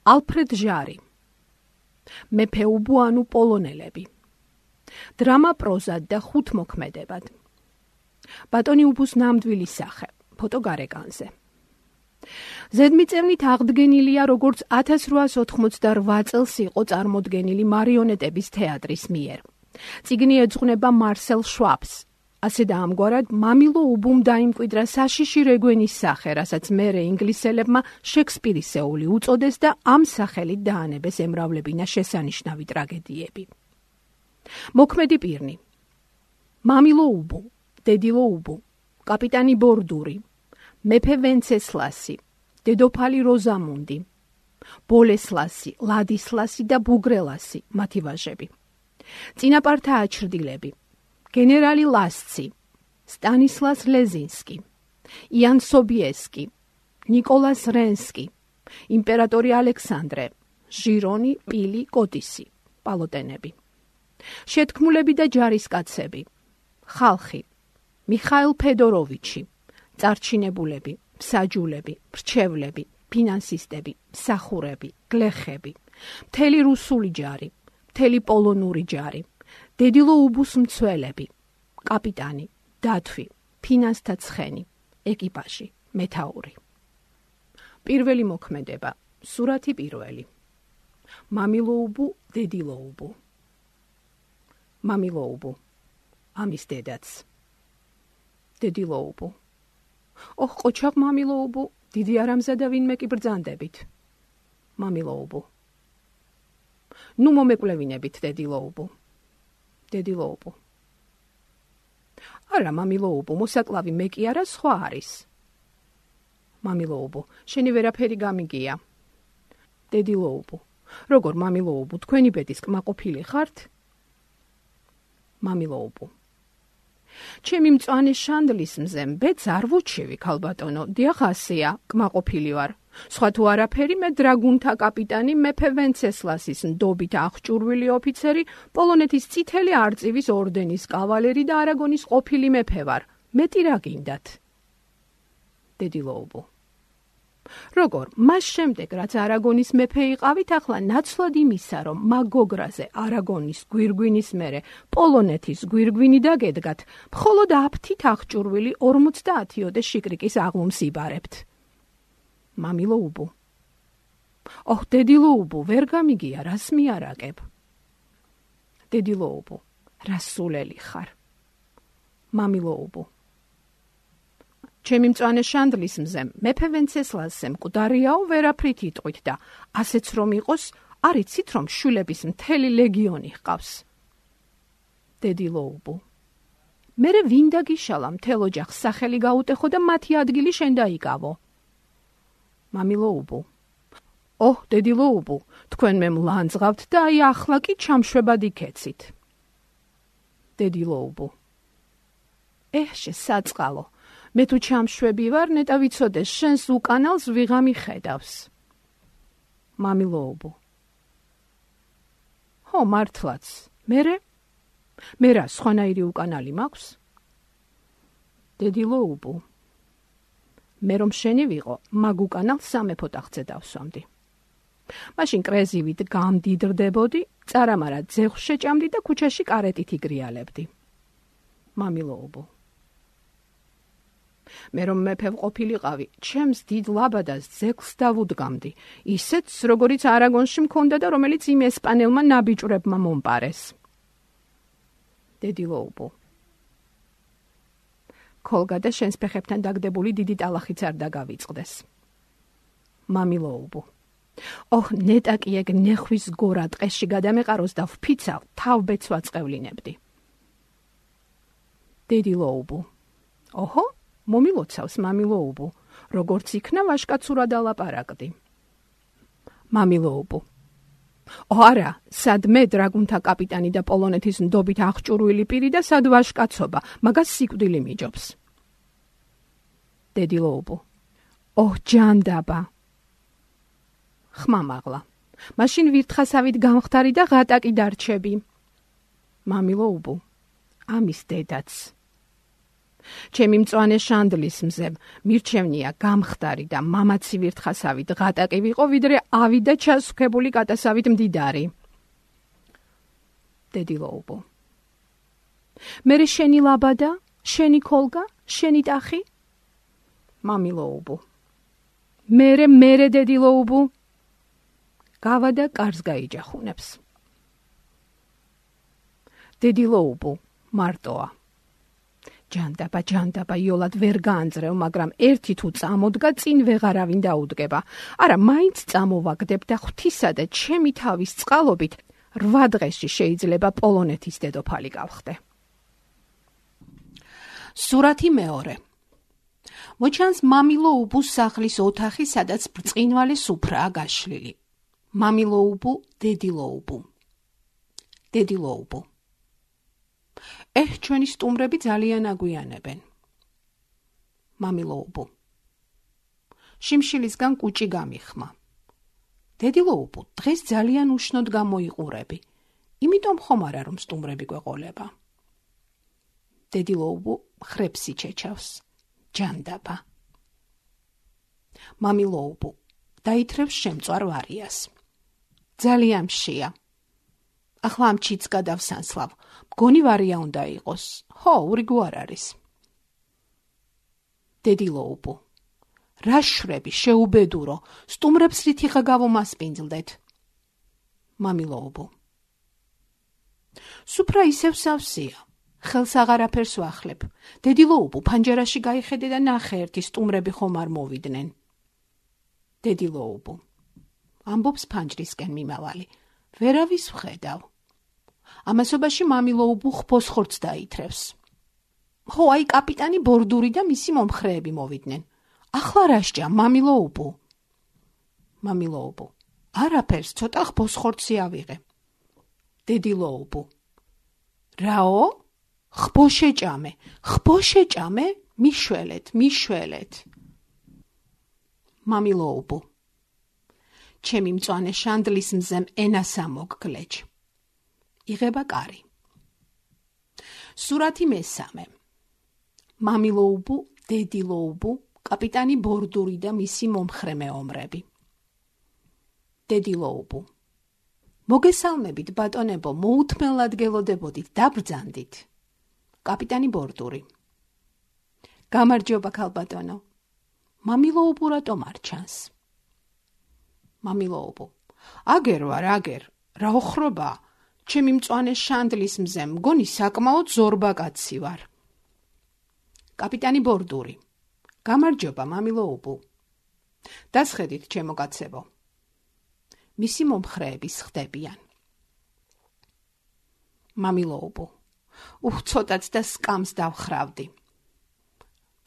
ალფრედ ჟარი, მეფე უბუ ანუ პოლონელები, დრამა პროზად და ხუთმოქმედებად, ბატონი უბუს ნამდვილი სახე, ფოტო გარეკანზე. ზედმიწევნით აღდგენილია როგორც 1888 წელს იყო წარმოდგენილი მარიონეტების თეატრის მიერ. წიგნი ეძღვნება მარსელ შვაბს. ასე და ამგვარად მამილო უბუმ დაიმკვიდრა საშიში რეგვენის სახე, რასაც მერე ინგლისელებმა შექსპირისეული უწოდეს და ამ სახელით დაანებეს ემრავლებინა შესანიშნავი ტრაგედიები. მოქმედი პირნი: მამილო უბუ, დედილო უბუ, კაპიტანი ბორდური, მეფე ვენცესლასი, დედოფალი როზამუნდი, ბოლესლასი, ლადისლასი და ბუგრელასი, მათი ვაჟები. წინაპართა აჩრდილები: გენერალი ლასცი, სტანისლას ლეზინსკი, იან სობიესკი, ნიკოლას რენსკი, იმპერატორი ალექსანდრე, ჟირონი, პილი, კოტისი, პალოტენები. შეთქმულები და ჯარისკაცები: ხალხი, მიხაილ ფედოროვიჩი, წარჩინებულები, მსაჯულები, მრჩევლები, ფინანსისტები, მსახურები, გლეხები, მთელი რუსული ჯარი, მთელი პოლონური ჯარი, დედილო უბუს მცველები, კაპიტანი, დათვი, ფინანსთა ცხენი, ეკიპაჟი, მეთაური. პირველი მოქმედება, სურათი პირველი. მამილო უბუ, დედილო უბუ. მამილო უბუ, ამის დედაც. დედილო უბუ. ოხ, ყოჩაღ მამილო უბუ, დიდი არ ამზადა ვინმე კი ბრძანდებით. მამილო უბუ. ნუ მომეკვლევინებით დედილო უბუ. დედილო უბუ. არა, მამილო უბუ, მოსაკლავი მე კი არა, სხვა არის. მამილო უბუ, შენი ვერაფერი გამიგია. დედილო უბუ. როგორ მამილო უბუ, თქვენი ბედის კმაყოფილი ხართ? მამილო უბუ. ჩემი მწვანე შანდლის მზე ბედს არ ვუჩივი, ქალბატონო, დიახ ასეა, კმაყოფილი ვარ. სხვა თუ არაფერი, მე დრაგუნთა კაპიტანი მეფე ვენცესლასის ნდობით აღჭურვილი ოფიცერი, პოლონეთის წითელი არწივის ორდენის კავალერი და არაგონის ყოფილი მეფე ვარ. მეტი რა გინდათ? დედილო უბუ. როგორ, მას შემდეგ, რაც არაგონის მეფე იყავით, ახლა ნაცვლად იმისა, რომ მაგოგრაზე არაგონის გვირგვინის მერე პოლონეთის გვირგვინი დაგედგათ, მხოლოდ აფთით აღჭურვილი 50-ოდე შიკრიკის აღლუმს იბარებთ. მამილო უბუ. ოხ, დედილო უბუ, ვერ გამიგია, რას მიარაგებ? დედილო უბუ. რას სულელი ხარ? მამილო უბუ. ჩემი მწვანე შანდლის მზე მეფე ვენცესლასზე მკვდარიაო, ვერაფრით იტყვით და ასეც რომ იყოს, არ იცით რომ შვილების მთელი ლეგიონი ჰყავს. დედილო უბუ. მერე ვინ დაგიშალა მთელ ოჯახს სახელი გაუტეხო და მათი ადგილი შენ დაიკავო? მამილო უბუ. ოჰ, დედილო უბუ, თქვენ მე მლანძღავთ და აი ახლა კი ჩამშვებად იქეცით. დედილო უბუ. შესაწყალო, მე თუ ჩამშვები ვარ, ნეტა ვიცოდეს, შენს უკანალს ვიღამი ხედავს. მამილო უბუ. ხო, მართლაც, მერე? მე რა, სხვანაირი უკანალი მაქვს? დედილო უბუ. მე რომ შენი ვიყო, მაგ უკანალს სამეფო ტახტზე დავსვამდი. მაშინ კრეზივით გამდიდრდებოდი, წარამარა ძეხვს შეჭამდი და ქუჩაში კარეტით იგრიალებდი. მამილო უბუ. მე რომ მეფე ვყოფილიყავი, ჩემს დიდ ლაბადას ძექს დავუდგამდი, ისეთს, როგორიც არაგონში მქონდა და რომელიც იმ ესპანელმა ნაბიჭვრებმა მომპარეს. დედილო უბუ. ქოლგა და შენს ფეხებთან დაგდებული დიდი ტალახიც არ დაგავიწყდეს. მამილო უბუ. ოხ, ნეტა კი ეგ ნეხვის გორა ტყეში გადამეყაროს და ვფიცავ, თავბეც ვაწყევლინებდი. დედილო უბუ. ოჰო, მომილოცავს მამილო უბუ, როგორც იქნა ვაშკაცურად ალაპარაკდი. მამილო უბუ. არა, სად მე დრაგუნთა კაპიტანი და პოლონეთის ნდობით აღჭურვილი პირი და სად ვაშკაცობა, მაგას სიკვდილი მიჯობს. დედილო უბუ. ოჰ, ჯანდაბა. ხმამაღლა. მაშინ ვირთხასავით გამხდარი და ღატაკი დარჩები. მამილო უბუ. ამის დედაც. ჩემი მწვანე შანდლის მზემ მირჩევნია გამხდარი და მამაცი ვირთხასავით ღატაკი ვიყო, ვიდრე ავიდა ჩასუქებული კატასავით მდიდარი. დედილოუბო. მერე შენი ლაბადა, შენი ქოლგა, შენი ტახი? მამილოუბო. მერე დედილოუბო. გავადა კარს გაიჯახუნებს. დედილოუბო მარტოა. ჯანდაბა იოლად ვერ გაანძრევ, მაგრამ ერთი თუ წამოდგა, წინ ვეღარავინ დაუდგება. არა, მაინც წამოვაგდებ და ღვთისა და ჩემი თავის წყალობით 8 დღეში შეიძლება პოლონეთის დედოფალი გავხდე. სურათი მეორე. მოჩანს მამილოუბუს სახლის ოთახი, სადაც ბრწყინვალე სუფრაა გაშლილი. მამილოუბუ, დედილოუბუ. დედილოუბუ. ჩვენი სტუმრები ძალიან აგვიანებენ. მამილოუბუ. შიმშილისგან კუჭი გამიხმა. დედილოუბუ, დღეს ძალიან უშნოდ გამოიყურები, იმიტომ ხომ არა რომ სტუმრები გვეყოლება. დედილოუბუ ხრებს იჩეჩავს. ჯანდაბა. მამილოუბუ დაითრევს შემწვარ ვარიას. ძალიან მშია. ახლა ამ ჩიც გადავსანსლავ. მგონი ვარია უნდა იყოს. ხო, ურიგო არ არის. დედილოუბუ. რა შვრები, შეუბედურო, სტუმრებს რითიხა გავომასპინძლდეთ. მამილოუბუ. სუფრა ისევ სავსეა. ხელს აღარაფერს ვახლებ. დედილოუბუ, ფანჯერაში გაიხედე და ნახე, ერთი სტუმრები ხომ არ მოვიდნენ. დედილოუბუ. ამბობს ფანჯრისკენ მიმავალი. ვერავის ვხედავ. ამასობაში მამილოუბუ ხბოსხორცს დაითრევს. ხო, აი კაპიტანი ბორდური და მისი მომხრეები მოვიდნენ. ახლა რა სჭა, მამილოუბუ? მამილოუბუ. არაფერს, ცოტა ხბოსხორცი ავიღე. დედილოუბუ. რაო? ხბოშეჭამე? მიშველეთ. მამილოუბუ. ჩემი მწვანე შანდლის მზემ ენასა მოგგლეჯ. იღება კარი. სურათი მესამე. მამილოუბუ, დედილოუბუ, კაპიტანი ბორდური და მისი მომხრე მეომრები. დედილოუბუ. მოგესალმებით, ბატონებო, მოუთმელად გელოდებოდით, დაბრძანდით. კაპიტანი ბორდური. გამარჯობა, ქალბატონო. მამილოუბუ რატომ არ ჩანს? მამილოუბუ. აგერ ვარ, რა ოხრობა? ჩემი მწვანე შანდლის მზემ მგონი საკმაოდ ზორბა კაცი ვარ. კაპიტანი ბორდური. გამარჯობა, მამილოუბუ. დასხედით, ჩემო კაცებო. მისი მომხრეები სხდებიან. მამილოუბუ. ცოტაც და სკამს დავხრავდი.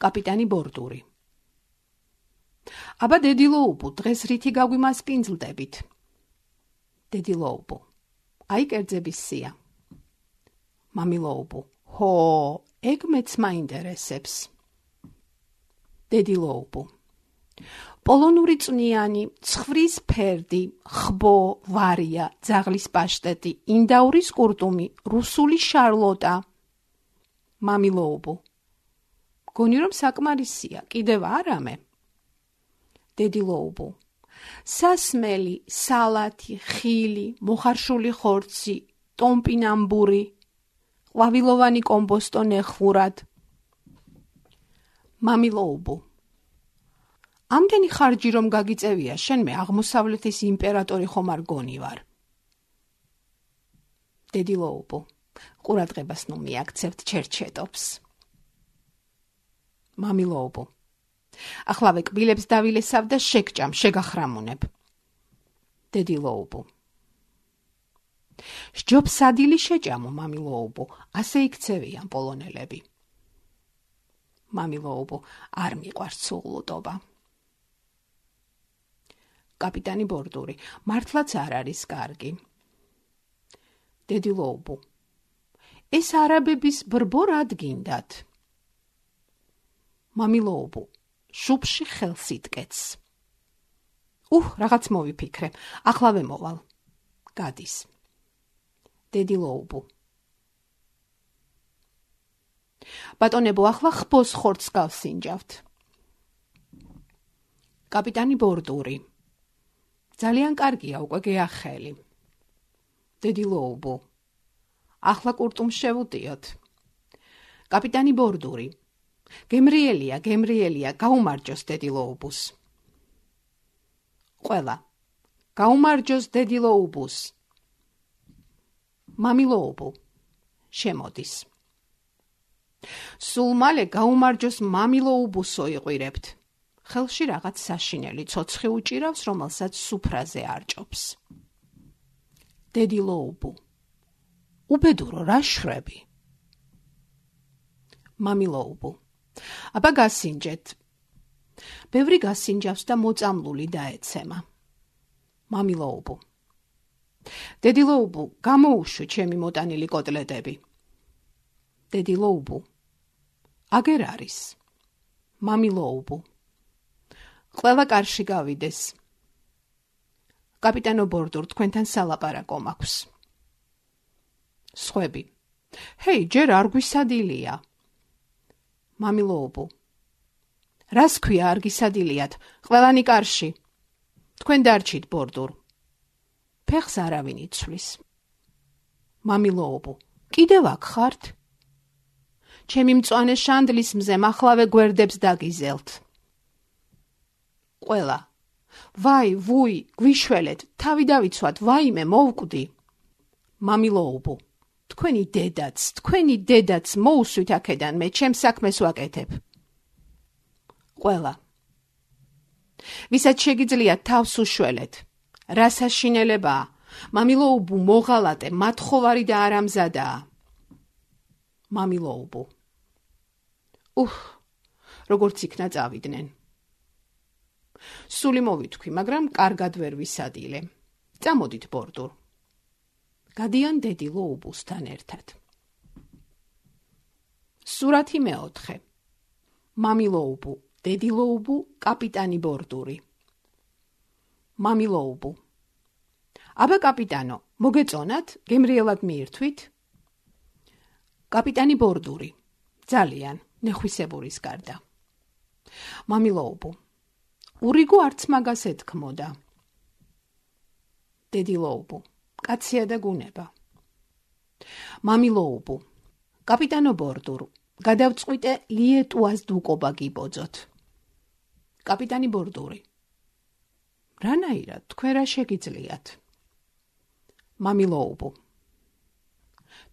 კაპიტანი ბორდური. აბა დედილოუბუ, დღეს რითი გაგვიმასპინძლდებით? დედილოუბუ. აი კერძების სია. მამილოუბუ. ჰო, ეგ მეც მაინტერესებს. დედილოუბუ. პოლონური წვნიანი, ცხვრის ფერდი, ხბო, ვარია, ძაღლის პაშტეტი, ინდაურის კურტუმი, რუსული შარლოტა. მამილოუბუ. მგონი რომ საკმარისია, კიდევ არამე. დედილოუბუ. სასმელი, სალათი, ხილი, მოხარშული ხორცი, ტომპინამბური, ყვავილოვანი კომბოსტო ნეხურად. მამილოუბუ. ამდენი ხარჯი რომ გაგიწევია, შენ მე აღმოსავლეთის იმპერატორი ხომ არ გონი ვარ. დედილოუბუ. ყურადღებას ნუ მიაქცევთ ჩერჩეტობს. მამილოუბუ. ახლავე კბილებს დავილესავ და შეგჭამ, შეგახრამუნებ. დედილოუბუ. სჯობს სადილი შეჭამო, მამილოუბუ, ასე იქცევიან პოლონელები. მამილოუბუ. არ მიყვარს სუღლუტობა. კაპიტანი ბორდური. მართლაც არ არის კარგი. დედილოუბუ. ეს არაბების ბრბო რად გინდათ? მამილოუბუ. შუბში ხელს იტკეთს. რაღაც მოვიფიქრე, ახლავე მოვალ. გადის. დედილოუბუ. ბატონებო, ახლა ხბოს ხორცს გავსინჯავთ. კაპიტანი ბორდური. ძალიან კარგია, უკვე გეახელი. დედი ლოუბო. ახლა კურტუმს შევუტიოთ. კაპიტანი ბორდური. გემრიელია, გაუმარჯოს დედი ლოუბუს. ყველა. გაუმარჯოს დედი ლოუბუს. მამი ლოუბო. შემოდის. სულ მალე გაუმარჯოს მამი ლოუბუსო იყურებთ. ხელში რაღაც საშინელი ცოცხი უჭირავს, რომელსაც სუფრაზე არჭობს. დედი ლოუბო. უბედურო, რა შვები? მამი ლოუბო. აბა გასინჯეთ. ბევრი გასინჯავს და მოწამლული დაეცემა. მამი ლოუბო. დედი ლოუბო, გამოუშვი ჩემი მოტანილი კოტლეტები. დედი ლოუბო. აგერ არის. მამი ლოუბო. ყველა კარში გავიდეს. კაპიტანო ბორდურ, თქვენთან სალაპარაკო მაქვს. სხვები. ჰეი, ჯერ არ გვისადილია. მამი ლოუბო. რას ქვია არ გისადილიათ? ყველანი კარში. თქვენ დარჩით ბორდურ. ფეხს არავინ იცვლის. მამი ლოუბო. კიდევ აქ ხართ? ჩემი მწვანე შანდლის მზემ ახლავე გვერდებს დაგიზელთ. ყველა. ვაი, ვუი, გვიშველეთ, თავი დავიცვათ, ვაიმე, მოვკვდი. მამი ლოუბო. თქვენი დედაც, მოუსვით აქედან, მე ჩემს საქმეს ვაკეთებ. ყველა. ვისაც შეგიძლიათ თავს უშველეთ. რა საშინელებაა? მამი ლოუბო, მოღალატე, მათხოვარი და არამზადაა. მამი ლოუბო. როგორც იქნა წავიდნენ. სული მოვითქვი, მაგრამ კარგად ვერ ვისადილე. წამოდით ბორდურ. გადიან დედი ლოუბუსთან ერთად. სურათი მეოთხე. მამი ლოუბო, დედი ლოუბო, კაპიტანი ბორდური. მამი ლოუბო. აბა კაპიტანო, მოგეწონათ, გემრიელად მიირთვით? კაპიტანი ბორდური. ძალიან, ნეხვისებურის გარდა. მამი ლოუბო. ურიგო არც მაგას ეთქმოდა. დედი ლოუბო. კაცია და გუნება. მამი ლოუბო. კაპიტანო ბორდურ, გადავწყვიტე ლიეტუას დუკობა გიბოძოთ. კაპიტანი ბორდური. რანაირად, თქვენ რა შეგიძლიათ? მამი ლოუბო.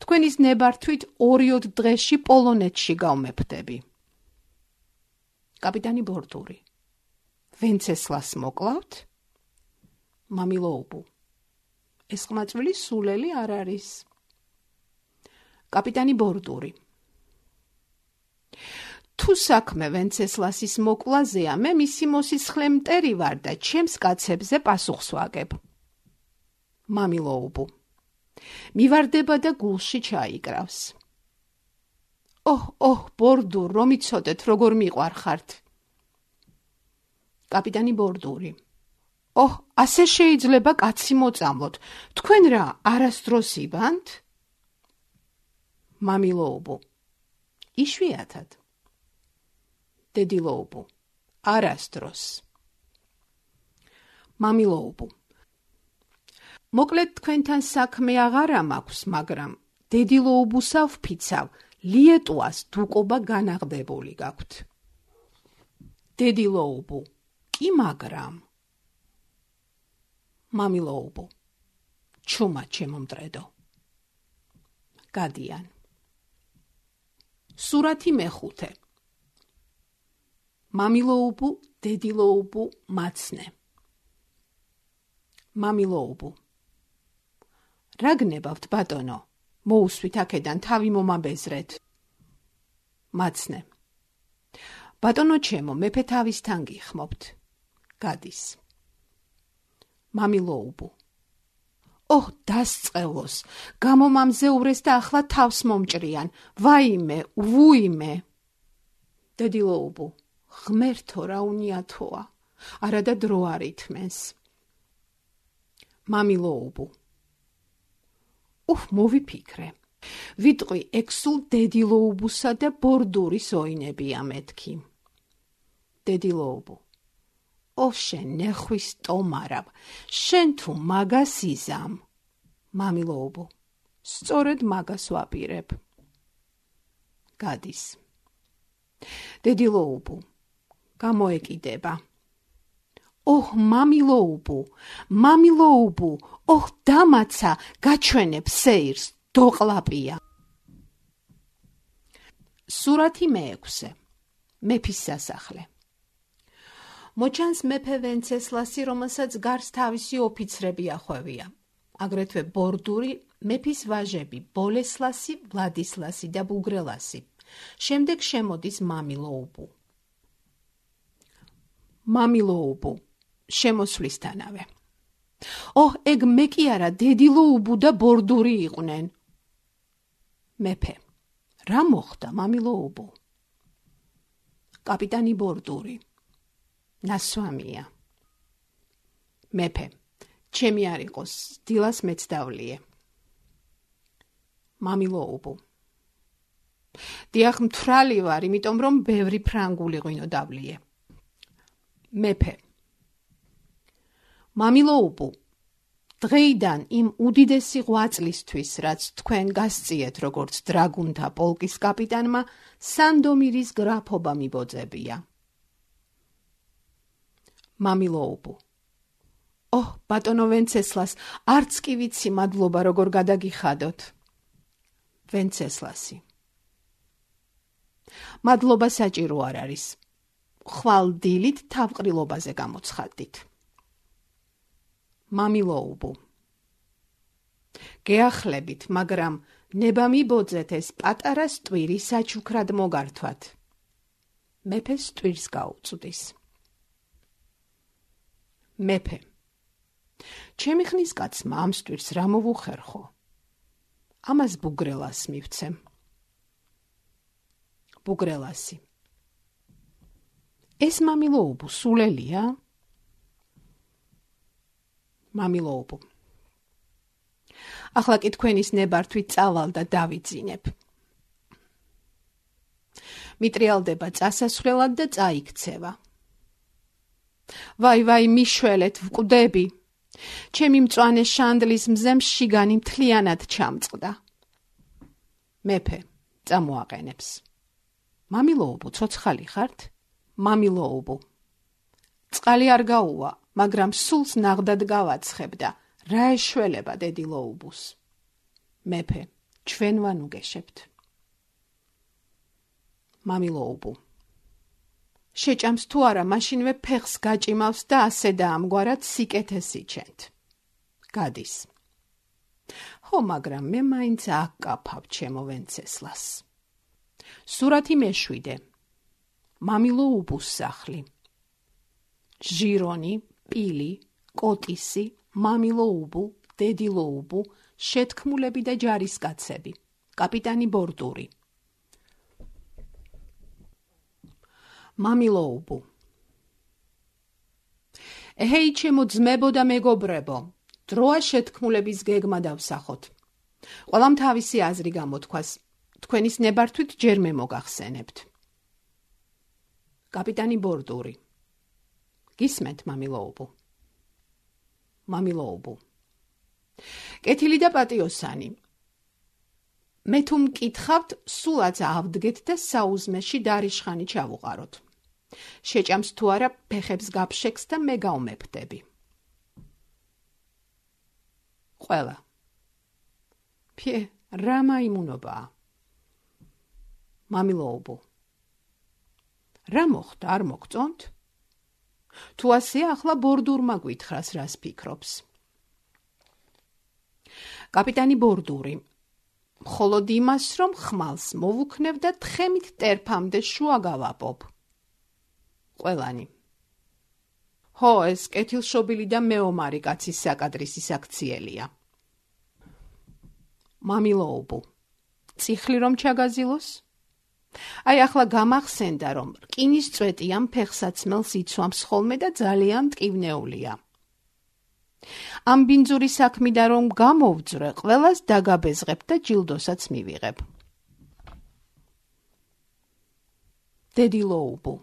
თქვენის ნებართვით 2 დღეში პოლონეთში გავმეფდები. კაპიტანი ბორდური. ვენცესლას მოკლავთ? მამი ლოუბო. ეს ყმაწვილი სულელი არ არის. კაპიტანი ბორდური. თუ საქმე ვენცესლასის მოკლაზეა, მე მისი მოსისხლე მტერი ვარ და ჩემს კაცებზე პასუხს ვაგებ. მამი ლოუბო. მივარდება და გულში ჩაიკრავს. ბორდურ, რომ იცოდეთ, როგორ მიყვარხართ. კაპიტანი ბორდური. ასე შეიძლება კაცი მოწამლოთ. თქვენ რა, არასდროს იბანთ? მამი ლოუბო. იშვიათად. დედი ლოუბო. არასდროს. მამი ლოუბო. მოკლედ თქვენთან საქმე აღარა მაქვს, მაგრამ დედი ლოუბუსა ვფიცავ, ლიეტუას დუკობა განაღდებული გაქვთ. დედი ლოუბო. კი მაგრამ. მამი ლოუბო. ჩუმა ჩემომტრედო. გადიან. სურათი მეხუთე. მამი ლოუბო, დედი ლოუბო, მაცნე. მამი ლოუბო. რა გნებავთ, ბატონო? მოუსვით აქედან, თავი მომაბეზრეთ. მაცნე. ბატონო ჩემო, მეფე თავისთან გიხმობთ. გადის. მამი ლოუბო. დასწყევოს, გამომამზეურეს და ახლა თავს მომჭრიან. ვაიმე, ვუიმე. დედი ლოუბო. ღმერთო, რა უნიათოა, არადა დრო არ ითმენს. მამი ლოუბო. მოვიფიქრე, ვიტყვი ექსულ დედილოუბუსა და ბორდურის ოინებია მეთქი. დედილოუბუ. ო შენ ნეხვის ტომარავ, შენ თუ მაგას იზამ. მამილოუბუ. სწორედ მაგას ვაპირებ. გადის. დედილოუბუ. გამოეკიდება. ოჰ, მამილოუბუ, მამილოუბუ, ოჰ, დამაცა, გაჩვენებ სეირს, დოყლაპია. სურათი მე-6. მეფის სასახლე. მოჩანს მეფე ვენცესლასი, რომელსაც გარს თავისი ოფიცრები ახვევია. აგრეთვე ბორდური, მეფის ვაჟები, ბოლესლასი, ვლადისლასი და ბუგრელასი. შემდეგ შემოდის მამილოუბუ. მამილოუბუ, შემოსვლისთანავე. ოჰ, ეგ მე კი არა, დედილოუბუ და ბორდური იყვნენ. მეფე. რა მოხდა, მამილოუბუ? კაპიტანი ბორდური. ნასვამია. მეფე. ჩემი არ იყოს, დილას მეც დავლიე. მამილოუბუ. დიახ, მთვრალი ვარ, იმიტომ რომ ბევრი ფრანგული ღვინო დავლიე. მეფე. მამილოუბუ, დღეიდან იმ უდიდესი ღვაწლისთვის, რაც თქვენ გასწიეთ როგორც დრაგუნთა პოლკის კაპიტანმა, სანდომირის გრაფობა მიბოძებია. მამილოუბუ. ოჰ, ბატონო ვენცესლას, არც კი ვიცი მადლობა როგორ გადაგიხადოთ. ვენცესლასი. მადლობა საჭირო არ არის. ხვალ დილით თავყრილობაზე გამოცხადდით. მამილოუბუ. გეახლებით, მაგრამ ნება მიბოძეთ ეს პატარა სტვირი საჩუქრად მოგართვათ. მეფე სტვირს გაუწვდის. მეფე. ჩემი ხნის კაცმა ამ სტვირს რა მოვუხერხო? ამას ბუგრელას მივცემ. ბუგრელასი. ეს მამილოუბუ სულელია? მამილოუბუ. ახლა კი თქვენის ნებართვით წავალ და დავიძინებ. მიტრიალდება წასასვლელად და წაიქცევა. ვაი, მიშველეთ, ვკვდები. ჩემი მწვანე შანდლის მზემ შიგანი მთლიანად ჩამწყდა. მეფე, წამოაყენებს. მამილოუბუ, ცოცხალი ხართ? მამილოუბუ. წყალი არ გაუვა, მაგრამ სულს ნაღდად გავაცხებ და რა ეშველება დედილოუბუს. მეფე, ჩვენ ვანუგეშებთ. მამილოუბუ. შეჭამს თუ არა, მაშინვე ფეხს გაჭიმავს და ასე და ამგვარად სიკეთეს იჩენთ. გადის. ხო, მაგრამ მე მაინც აკაფავ ჩემო ვენცესლას. სურათი მე-7. მამილოუბუს სახლი. ჟირონი, პილი, კოტისი, მამილოუბუ, დედილოუბუ, შეთქმულები და ჯარისკაცები. კაპიტანი ბორდური. მამილოუბუ. ეჰეი, ჩემო ძმებო და მეგობრებო, დროა შეთქმულების გეგმა დავსახოთ. ყველამ თავისი აზრი გამოთქვას, თქვენის ნებართვით ჯერ მე მოგახსენებთ. კაპიტანი ბორდური. გისმენთ, მამილოუბუ. მამილოუბუ. კეთილი და პატიოსანი. მე თუ მკითხავთ, სულაც ავდგეთ და საუზმეში დარიშხანი ჩავუყაროთ. შეჭამს თუ არა, ფეხებს გაფშექს და მე გავმეფდები. ყველა. ფიე, რა მაიმუნობაა? მამილოუბუ. რა მოხდა, არ მოგწონთ? თუ ასე, ახლა ბორდურმა გვითხრას, რას ფიქრობს. კაპიტანი ბორდური. მხოლოდ იმას, რომ ხმალს მოვუქნებ და თხემით ტერფამდე შუა გავაპობ. ყველანი. ჰო, ეს კეთილშობილი და მეომარი კაცის საკადრისის აქციელია. მამილოუბუ. წიხლი რომ ჩაგაზილოს? აი, ახლა გამახსენდა, რომ რკინის წვეტი ამ ფეხსაცმელს იცვამს ხოლმე და ძალიან მტკივნეულია. ამ ბინძური საქმიდან რომ გამოვძვრე, ყველას დაგაბეზღებ და ჯილდოსაც მივიღებ. დედილოუბუ.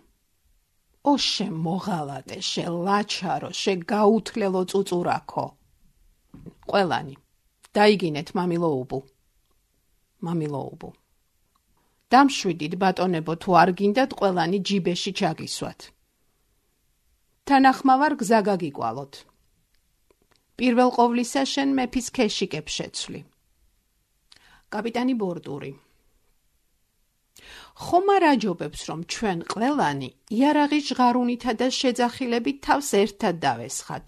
ო შემოღალატე, შელაჩარო, შეგაუთლელო წუწურაქო. ყველანი. დაიგინეთ, მამილოუბუ. მამილოუბუ. დამშვიდით, ბატონებო, თუ არ გინდათ ყველანი ჯიბეში ჩაგისვათ. თანახმავარ გზა გაგიკვალოთ. პირველ ყოვლისა შენ მეფის ქეშიკებს შეცვლი. კაპიტანი ბორდური. ხომ არ აჯობებს, რომ ჩვენ ყველანი იარაღის ჟღარუნითა და შეძახილებით თავს ერთად დავესხათ.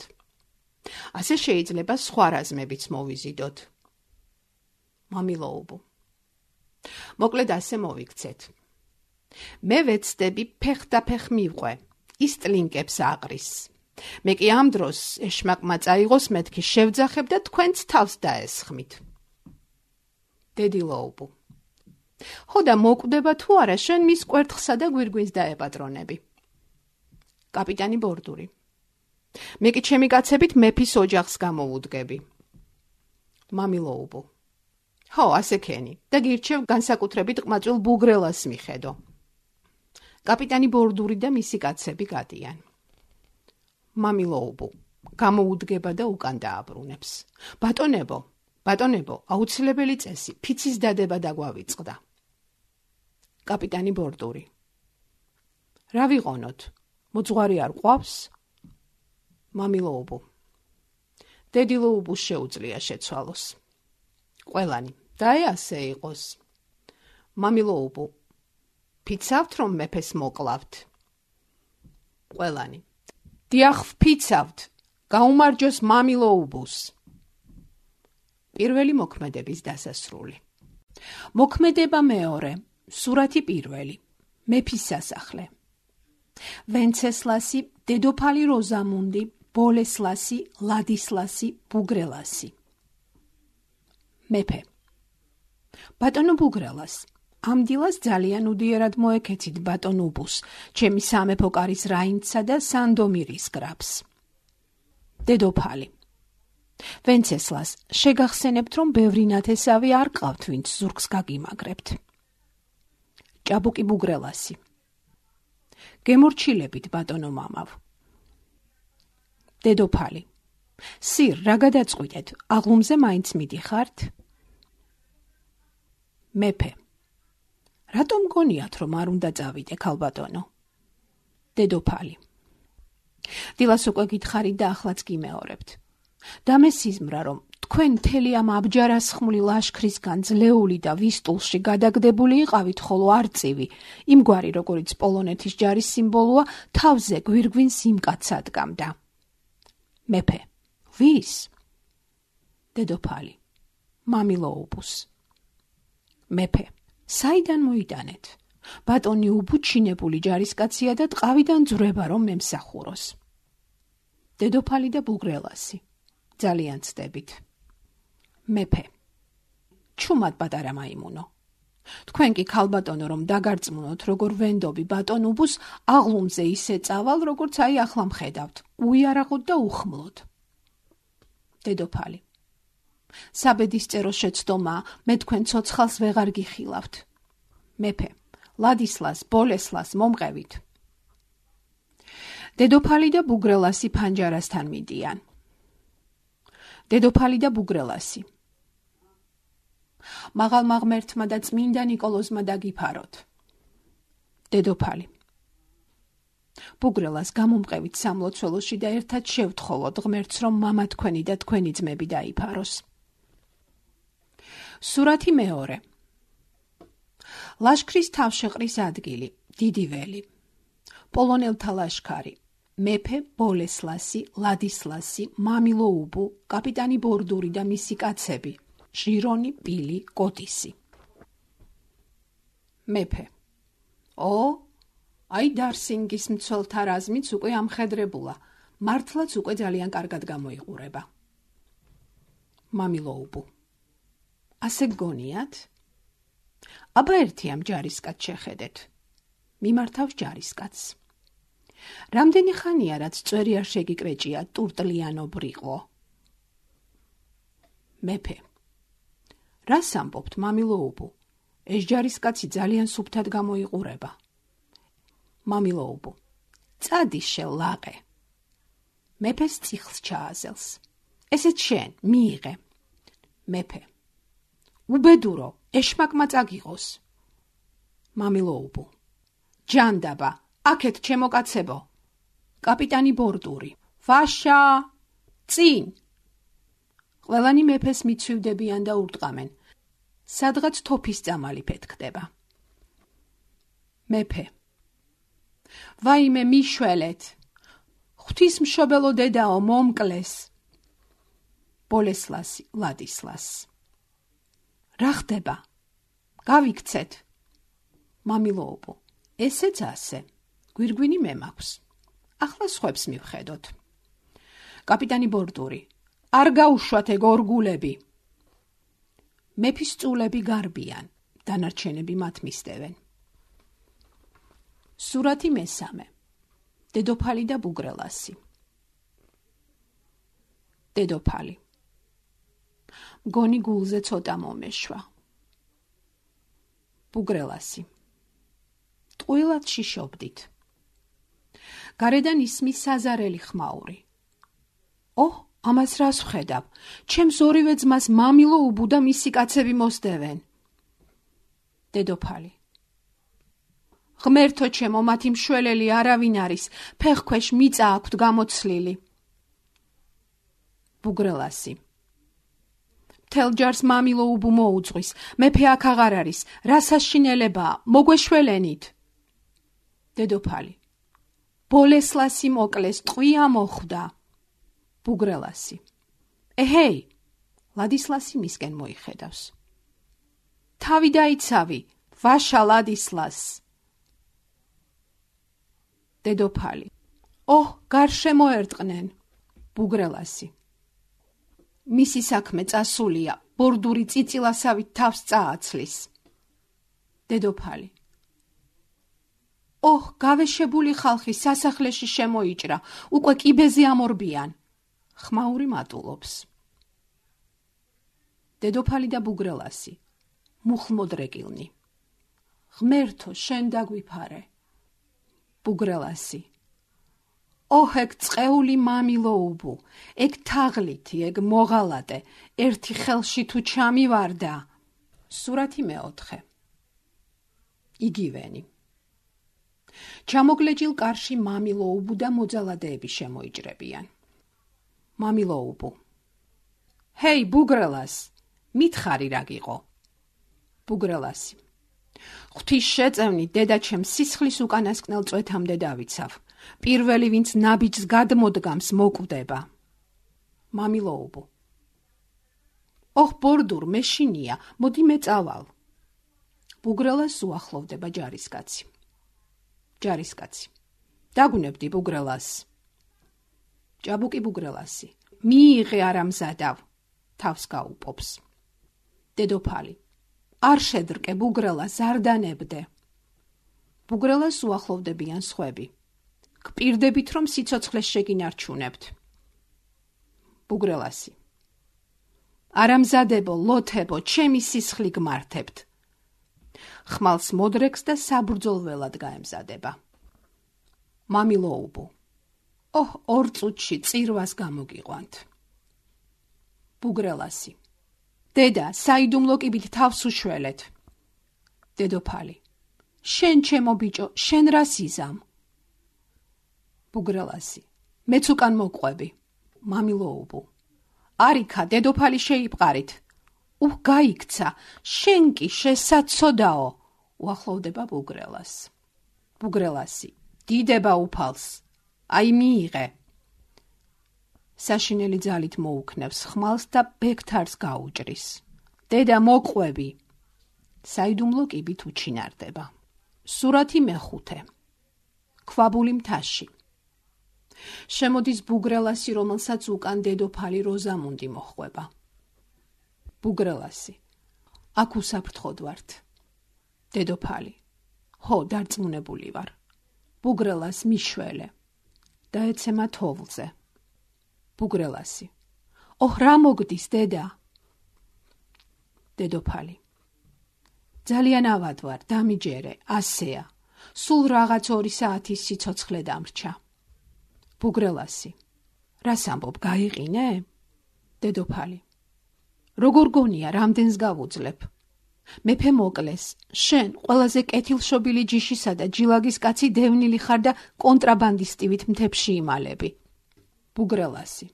ასე შეიძლება სხვა რაზმებიც მოვიზიდოთ. მამილოუბუ. მოკლედ ასე მოვიქცეთ. მე ვეცდები ფეხდაფეხ მივყვე, ის ტლინკებს აყრის. მე კი ამ დროს ეშმაკმა წაიღოს მეთქი შევძახებ და თქვენც თავს დაესხმით. დედილოუბუ. ხო და მოკვდება თუ არა შენ მის კვერთხსა და გვირგვინს დაეპატრონები. კაპიტანი ბორდური. მე კი ჩემი კაცებით მეფის ოჯახს გამოვუდგები. მამილოუბუ. ხო, ასე ქენი და გირჩევ განსაკუთრებით ყმაწვილ ბუგრელას მიხედო. კაპიტანი ბორდური და მისი კაცები გადიან. მამილოუბუ. გამოუდგება და უკან დააბრუნებს. ბატონებო, აუცილებელი წესი, ფიცის დადება დაგვავიწყდა. კაპიტანი ბორდური. რა ვიყონოთ? მოძღვარი არ ყავს? მამილოუბუ. დედილოუბუს შეუძლია შეცვალოს. ყველანი. და ასე იყოს. მამილოუბუ. ფიცავთ, რომ მეფეს მოკლავთ? ყველანი. დიახ, ვფიცავთ. გაუმარჯოს მამილოუბუს. პირველი მოქმედების დასასრული. მოქმედება მეორე. სურათი პირველი. მეფის სასახლე. ვენცესლასი, დედოფალი როზამუნდი, ბოლესლასი, ლადისლასი, ბუგრელასი. მეფე. ბატონო ბუგრელას, ამ დილას ძალიან უდიერად მოეკეცით ბატონუბუს, ჩემი სამეფო კარის რაინდსა და სანდომირის გრაფს. დედოფალი. ვენცესლას, შეგახსენებთ, რომ ბევრი ნათესავი არ ყავთ, ვინც ზურგს გაგიმაგრებთ. ჭაბუკი ბუგრელასი. გემორჩილებით, ბატონო მამავ. დედოფალი. სირ, რა გადაწყვიტეთ, აღლუმზე მაინც მიდიხართ? მეფე. რატომ გონიათ, რომ არ უნდა წავიდე, ქალბატონო? დედოფალი. დილას უკვე გითხარით და ახლაც გიმეორებთ. დამესიზმრა, რომ თქვენ მთელი ამ აბჯარასხმული ლაშქრისგან ძლეული და ვისტულში გადაგდებული იყავით, ხოლო არწივი, იმგვარი, როგორიც პოლონეთის ჯარის სიმბოლოა, თავზე გვირგვინს იმ კაცს ადგამდა. მეფე. ვის? დედოფალი. მამილოუბუს. მეფე. საიდან მოიტანეთ? ბატონი უბუ ჩინებული ჯარისკაცია და ტყავიდან ძვრება, რომ მემსახუროს. დედოფალი და ბუგრელასი. ძალიან ცდებით. მეფე. ჩუმად პატარა მაიმუნო. თქვენ კი ქალბატონო, რომ დაგარწმუნოთ, როგორ ვენდობი ბატონ უბუს, აღლუმზე ისე წავალ, როგორც აი ახლა მხედავთ, უიარაღოდ და უხმლოდ. დედოფალი. საბედისწერო შეცდომა, მე თქვენ ცოცხალს ვეღარ გიხილავთ. მეფე. ლადისლას, ბოლესლას მომყევით. დედოფალი და ბუგრელასი ფანჯარასთან მიდიან. დედოფალი და ბუგრელასი. მაღალმა ღმერთმა და წმინდა ნიკოლოზმა დაგიფაროთ. დედოფალი. ბუგრელას გამომყევით სამლოცველოში და ერთად შევთხოვოთ ღმერთს, რომ მამა თქვენი და თქვენი ძმები დაიფაროს. სურათი მეორე. ლაშქრის თავშეყრის ადგილი, დიდი ველი. პოლონელთა ლაშქარი. მეფე, ბოლესლასი, ლადისლასი, მამილოუბუ, კაპიტანი ბორდური და მისი კაცები. ჟირონი, პილი, კოტისი. მეფე. აი დარსინგის მცველთა რაზმიც უკვე ამხედრებულა, მართლაც უკვე ძალიან კარგად გამოიყურება. მამილოუბუ. ასე გგონიათ? აბა ერთი ამ ჯარისკაცს შეხედეთ. მიმართავს ჯარისკაცს. რამდენი ხანია, რაც წვერი არ შეგიკრეჭია ტურტლიანო ბრიყო? მეფე. რას ამბობთ, მამილოუბუ? ეს ჯარისკაცი ძალიან სუფთად გამოიყურება. მამილოუბუ. წადი შელაყე. მეფეს წიხლს ჩააზელს. ესეც შენ, მიიღე. მეფე. უბედურო, ეშმაკმა წაგიღოს. მამილოუბუ. ჯანდაბა, აქეთ ჩემო კაცებო. კაპიტანი ბორდური. ვაშა! წინ! ყველანი მეფეს მიცვივდებიან და ურტყამენ. სადღაც თოფის წამალი ფეთქდება. მეფე. ვაიმე მიშველეთ. ღვთისმშობელო დედაო, მომკლეს. ბოლესლასი ლადისლას. რა ხდება? გავიქცეთ. მამილოუბუ. ესეც ასე. გვირგვინი მე მაქვს. ახლა სხვებს მივხედოთ. კაპიტანი ბორდური. არ გაუშვათ ეგ ორგულები. მეფის წულები გარბიან, დანარჩენები მათ მისდევენ. სურათი მესამე. დედოფალი და ბუგრელასი. დედოფალი. მგონი გულზე ცოტა მომეშვა. ბუგრელასი. ტყუილად შიშობდით. გარედან ისმის საზარელი ხმაური. ოჰ, ამას რას ვხედავ? ჩემს ორივე ძმას მამილოუბუ და მისი კაცები მოსდევენ. დედოფალი. ღმერთო ჩემო, მათი მშველელი არავინ არის, ფეხქვეშ მიწა აქვთ გამოცლილი. ბუგრელასი. მთელ ჯარს მამილოუბუ მოუძღვის, მეფე აქ აღარ არის, რა საშინელებაა, მოგვეშველენით. დედოფალი. ბოლესლასი მოკლეს, ტყვია მოხვდა. ბუგრელასი. ეჰეი, ლადისლასი მისკენ მოიხედავს. თავი დაიცავი, ვაშა ლადისლას. დედოფალი. ოჰ, გარშემო ერტყნენ. ბუგრელასი. მისი საქმე წასულია, ბორდური წიწილასავით თავს წააცლის. დედოფალი. ოჰ, გავეშებული ხალხი სასახლეში შემოიჭრა, უკვე კიბეზე ამორბიან. ხმაური მატულობს. დედოფალი და ბუგრელასი. მუხლმოდრეკილნი. ღმერთო, შენ დაგვიფარე. ბუგრელასი. ოჰ, ეგ წყეული მამილოუბუ, ეგ თაღლითი, ეგ მოღალატე, ერთი ხელში თუ ჩამივარდა. სურათი მეოთხე. იგივენი. ჩამოგლეჯილ კარში მამილოუბუ და მოძალადეები შემოიჭრებიან. მამილოუბუ. ჰეი, ბუგრელას, მითხარი რა გიყო? ბუგრელასი. ღვთის შეწევნით დედაჩემ სისხლის უკანასკნელ წვეთამდე დავიცავ. პირველი, ვინც ნაბიჯს გადმოდგამს, მოკვდება. მამილოუბუ. ოჰ, ბორდურ, მეშინია, მოდი მე წავალ. ბუგრელას უახლოვდება ჯარისკაცი. ჯარისკაცი. დაგუნებდი ბუგრელას. ჭაბუკი ბუგრელასი. მიიღე არამზადავ. თავს გაუპობს. დედოფალი. არ შედრკე ბუგრელას, არ დანებდე. ბუგრელას უახლოვდებიან სხვები. გპირდებით, რომ სიცოცხლეს შეგინარჩუნებთ. ბუგრელასი. არამზადებო, ლოთებო, ჩემი სისხლი გმართებთ. ხმალს მოდრეკს და საბრძოლველად გაემზადება. მამილოუბუ. ოჰ, 2 წუთში წირვას გამოგიყვანთ. ბუგრელასი. დედა, საიდუმლო კიბით თავს უშველეთ. დედოფალი. შენ ჩემო ბიჭო, შენ რას იზამ? ბუგრელასი. მეც უკან მოყვები. მამილოუბუ. არიქა, დედოფალი შეიპყარით. უჰ, გაიქცა, შენ კი შესაცოდაო. უახლოვდება ბუგრელას. ბუგრელასი. დიდება უფალს. აი მიიღე. საშინელი ძალით მოუქნევს ხმალს და ბექთარს გაუჭრის. დედა, მოყვები. საიდუმლო კიბით უჩინარდება. სურათი მეხუთე. ქვაბული მთაში. შემოდის ბუგრელასი, რომელსაც უკან დედოფალი როზამუნდი მოჰყვება. ბუგრელასი. აქ უსაფრთხოდ ვართ. დედოფალი. ჰო, დარწმუნებული ვარ. ბუგრელას მიშველე. დაეცემა თოვლზე. ბუგრელასი. ოჰ, რა მოგდის, დედა? დედოფალი. ძალიან ავად ვარ, დამიჯერე, ასეა. სულ რაღაც 2 საათის სიცოცხლე დამრჩა. ბუგრელასი. რას ამბობ, გაიყინე? დედოფალი. როგორ გონია, რამდენს გავუძლებ? მეფე მოკლეს, შენ ყველაზე კეთილშობილი ჯიშისა და ჯილაგის კაცი დევნილი ხარ და კონტრაბანდისტივით მთებში იმალები. ბუგრელასი.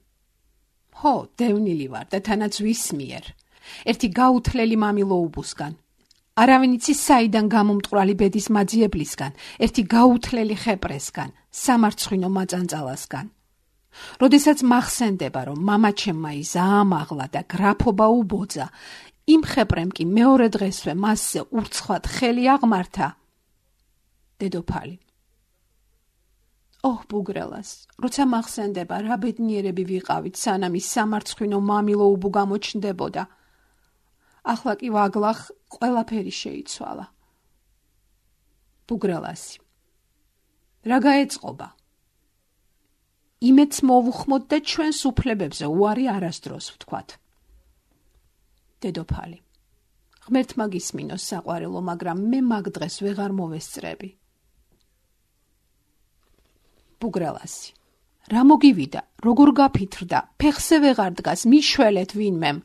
ხო, დევნილი ვარ და თანაც ვის მიერ? ერთი გაუთლელი მამილოუბუსგან. არავინ იცის საიდან გამომტყვრალი ბედის მაძიებლისგან, ერთი გაუთლელი ხეპრესგან, სამარცხვინო მაწანწალასგან. როდესაც მახსენდება, რომ მამაჩემმა იზაამაღლა და გრაფობა უბოძა, იმ ხეპრემ კი მეორე დღესვე მასზე ურცხვად ხელი აღმართა. დედოფალი. ოჰ, ბუგრელას, როცა მახსენდება, რა ბედნიერები ვიყავით, სანამ ის სამარცხვინო მამილოუბუ გამოჩნდებოდა. ახლა კი ვაგლახ ყველაფერი შეიცვალა. ბუგრელასი. რა გაეწყობა? იმედს მოვუხმოთ და ჩვენს უფლებებზე უარი არასდროს ვთქვათ. დედოფალი. ღმერთმა გისმინოს საყვარელო, მაგრამ მე მაგ დღეს ვეღარ მოვესწრები. ბუგრელასი. რა მოგივიდა, როგორ გაფითრდა, ფეხზე ვეღარ დგას, მიშველეთ ვინმემ.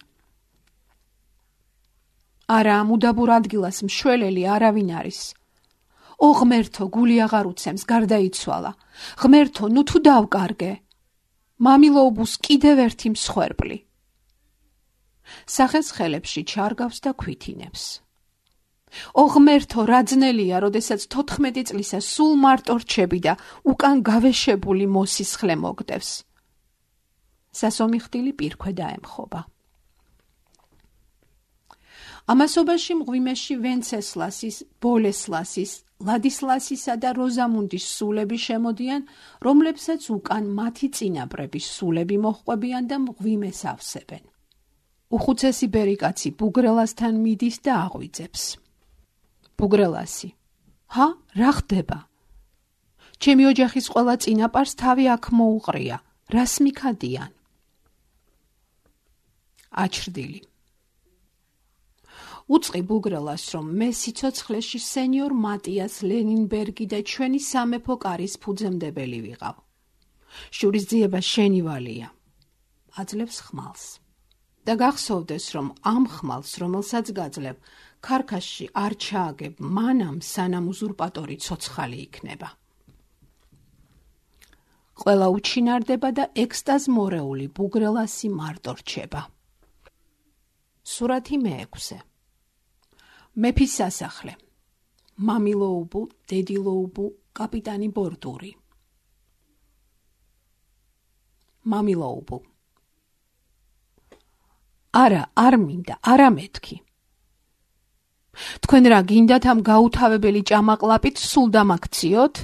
არა, ამ უდაბურ ადგილას მშველელი არავინ არის. ო ღმერთო, გული აღარ უცემს, გარდაიცვალა. ღმერთო, ნუ თუ დავკარგე. მამილოუბუს კიდევ ერთი მსხვერპლი. სახეს ხელებში ჩარგავს და ქვითინებს. ო ღმერთო, რა ძნელია, როდესაც 14 წლისა სულ მარტო რჩები და უკან გავეშებული მოსისხლე მოგდევს. სასომი ხდილი პირქვე დაემხობა. ამასობაში მღვიმეში ვენცესლასის, ბოლესლასის, ლადისლასისა და როზამუნდის სულები შემოდიან, რომლებსაც უკან მათი წინაპრების სულები მოჰყვებიან და მღვიმეს ავსებენ. უხუცესი ბერიკაცი ბუგრელასთან მიდის და აღვიძებს. ბუგრელასი. ჰა, რა ხდება? ჩემი ოჯახის ყველა წინაპარს თავი აქ მოუყრია, რას მიქადიან? აჩრდილი. უწყი ბუგრელას, რომ მე სიცოცხლეში სენიორ მატიას ლენინბერგი და ჩვენი სამეფო კარის ფუძემდებელი ვიყავ. შურისძიება შენი ვალია. აძლევს ხმალს. და გახსოვდეს, რომ ამ ხმალს, რომელსაც გაძლევ, ქარქაშში არ ჩააგებ მანამ, სანამ უზურპატორი ცოცხალი იქნება. ყველა უჩინარდება და ექსტაზ მორეული ბუგრელასი მარტო რჩება. სურათი მე-6. მეფის სასახლე. მამილოუბუ, დედილოუბუ, კაპიტანი ბორდური. მამილოუბუ. არა, არ მინდა, არა მეთქი. თქვენ რა გინდათ ამ გაუთავებელი ჭამაყლაპით სულ დამაქციოთ?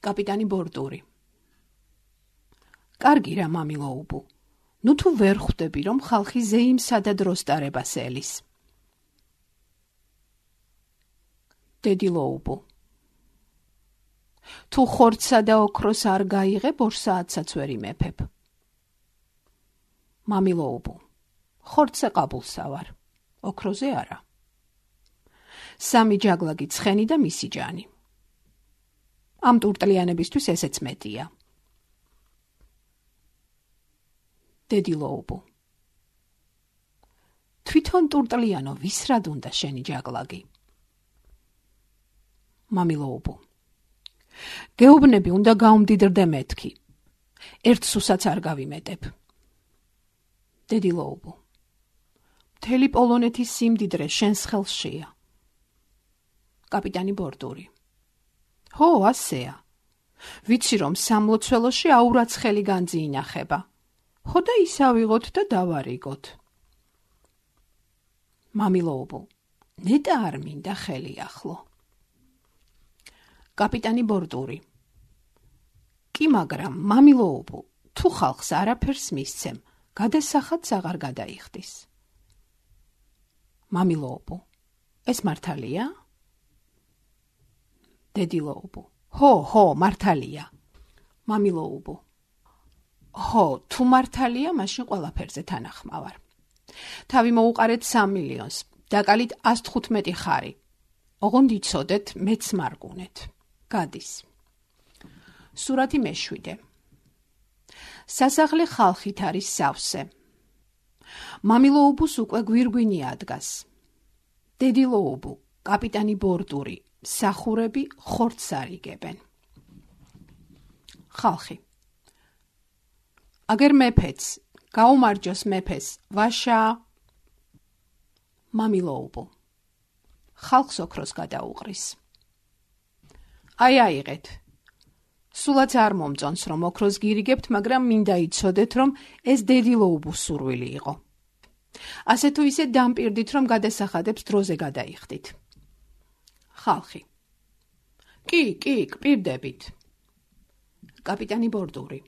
კაპიტანი ბორდური. კარგი რა, მამილოუბუ. ნუ თუ ვერ ხვდები, რომ ხალხი ზეიმსა და დროსტარებას ელის. დედილოუბუ. თუ ხორცსა და ოქროს არ გაიღებ, 2 საათსაც ვერ იმეფებ. მამილოუბუ. ხორცზე ყაბულსა ვარ, ოქროზე არა. 3 ჯაგლაგი ცხენი და მისი ჯანი. ამ ტურტლიანებისთვის ესეც მეტია. დედილოუბუ. თვითონ ტურტლიანო, ვის რად უნდა შენი ჯაგლაგი? მამილოუბუ. გეუბნები უნდა გაუმდიდრდე მეთქი. ერთ სუსაც არ გავიმეტებ. დედილოუბუ. მთელი პოლონეთის სიმდიდრე შენს ხელშია. კაპიტანი ბორდური. ხო, ასეა. ვიცი, რომ სამლოცველოში აურაცხელი განძი ინახება. ხო და ის ავიღოთ და დავარიგოთ. მამილოუბუ. ნეტა არ მინდა ხელი ახლო. კაპიტანი ბორდური. კი, მაგრამ მამილოუბუ, თუ ხალხს არაფერს მისცემ, გადასახადს აღარ გადაიხდის. მამილოუბუ. ეს მართალია? დედილოუბუ. ხო, მართალია. მამილოუბუ. ხო, თუ მართალია, მაშინ ყველაფერზე თანახმავარ. თავი მოუყარეთ 3 მილიონს, დაკალით 115 ხარი. ოღონდ იცოდეთ, მეც მარგუნეთ. გადის. სურათი მე-7. სასახლე ხალხით არის სავსე. მამილოუბუს უკვე გვირგვინი ადგას. დედილოუბუ, კაპიტანი ბორდური, სახურები ხორცს არიგებენ. ხალხი. აგერ მეფეც, გაუმარჯოს მეფეს, ვაშა. მამილოუბუ. ხალხს ოქროს გადაუყრის. აიღეთ. სულაც არ მომწონს, რომ ოქროს გირიგებთ, მაგრამ მინდა იცოდეთ, რომ ეს დედილოუბუს სურვილი იყო. ასე თუ ისე დამპირდით, რომ გადასახადებს დროზე გადაიხდით. ხალხი. კი, გპირდებით. კაპიტანი ბორდური.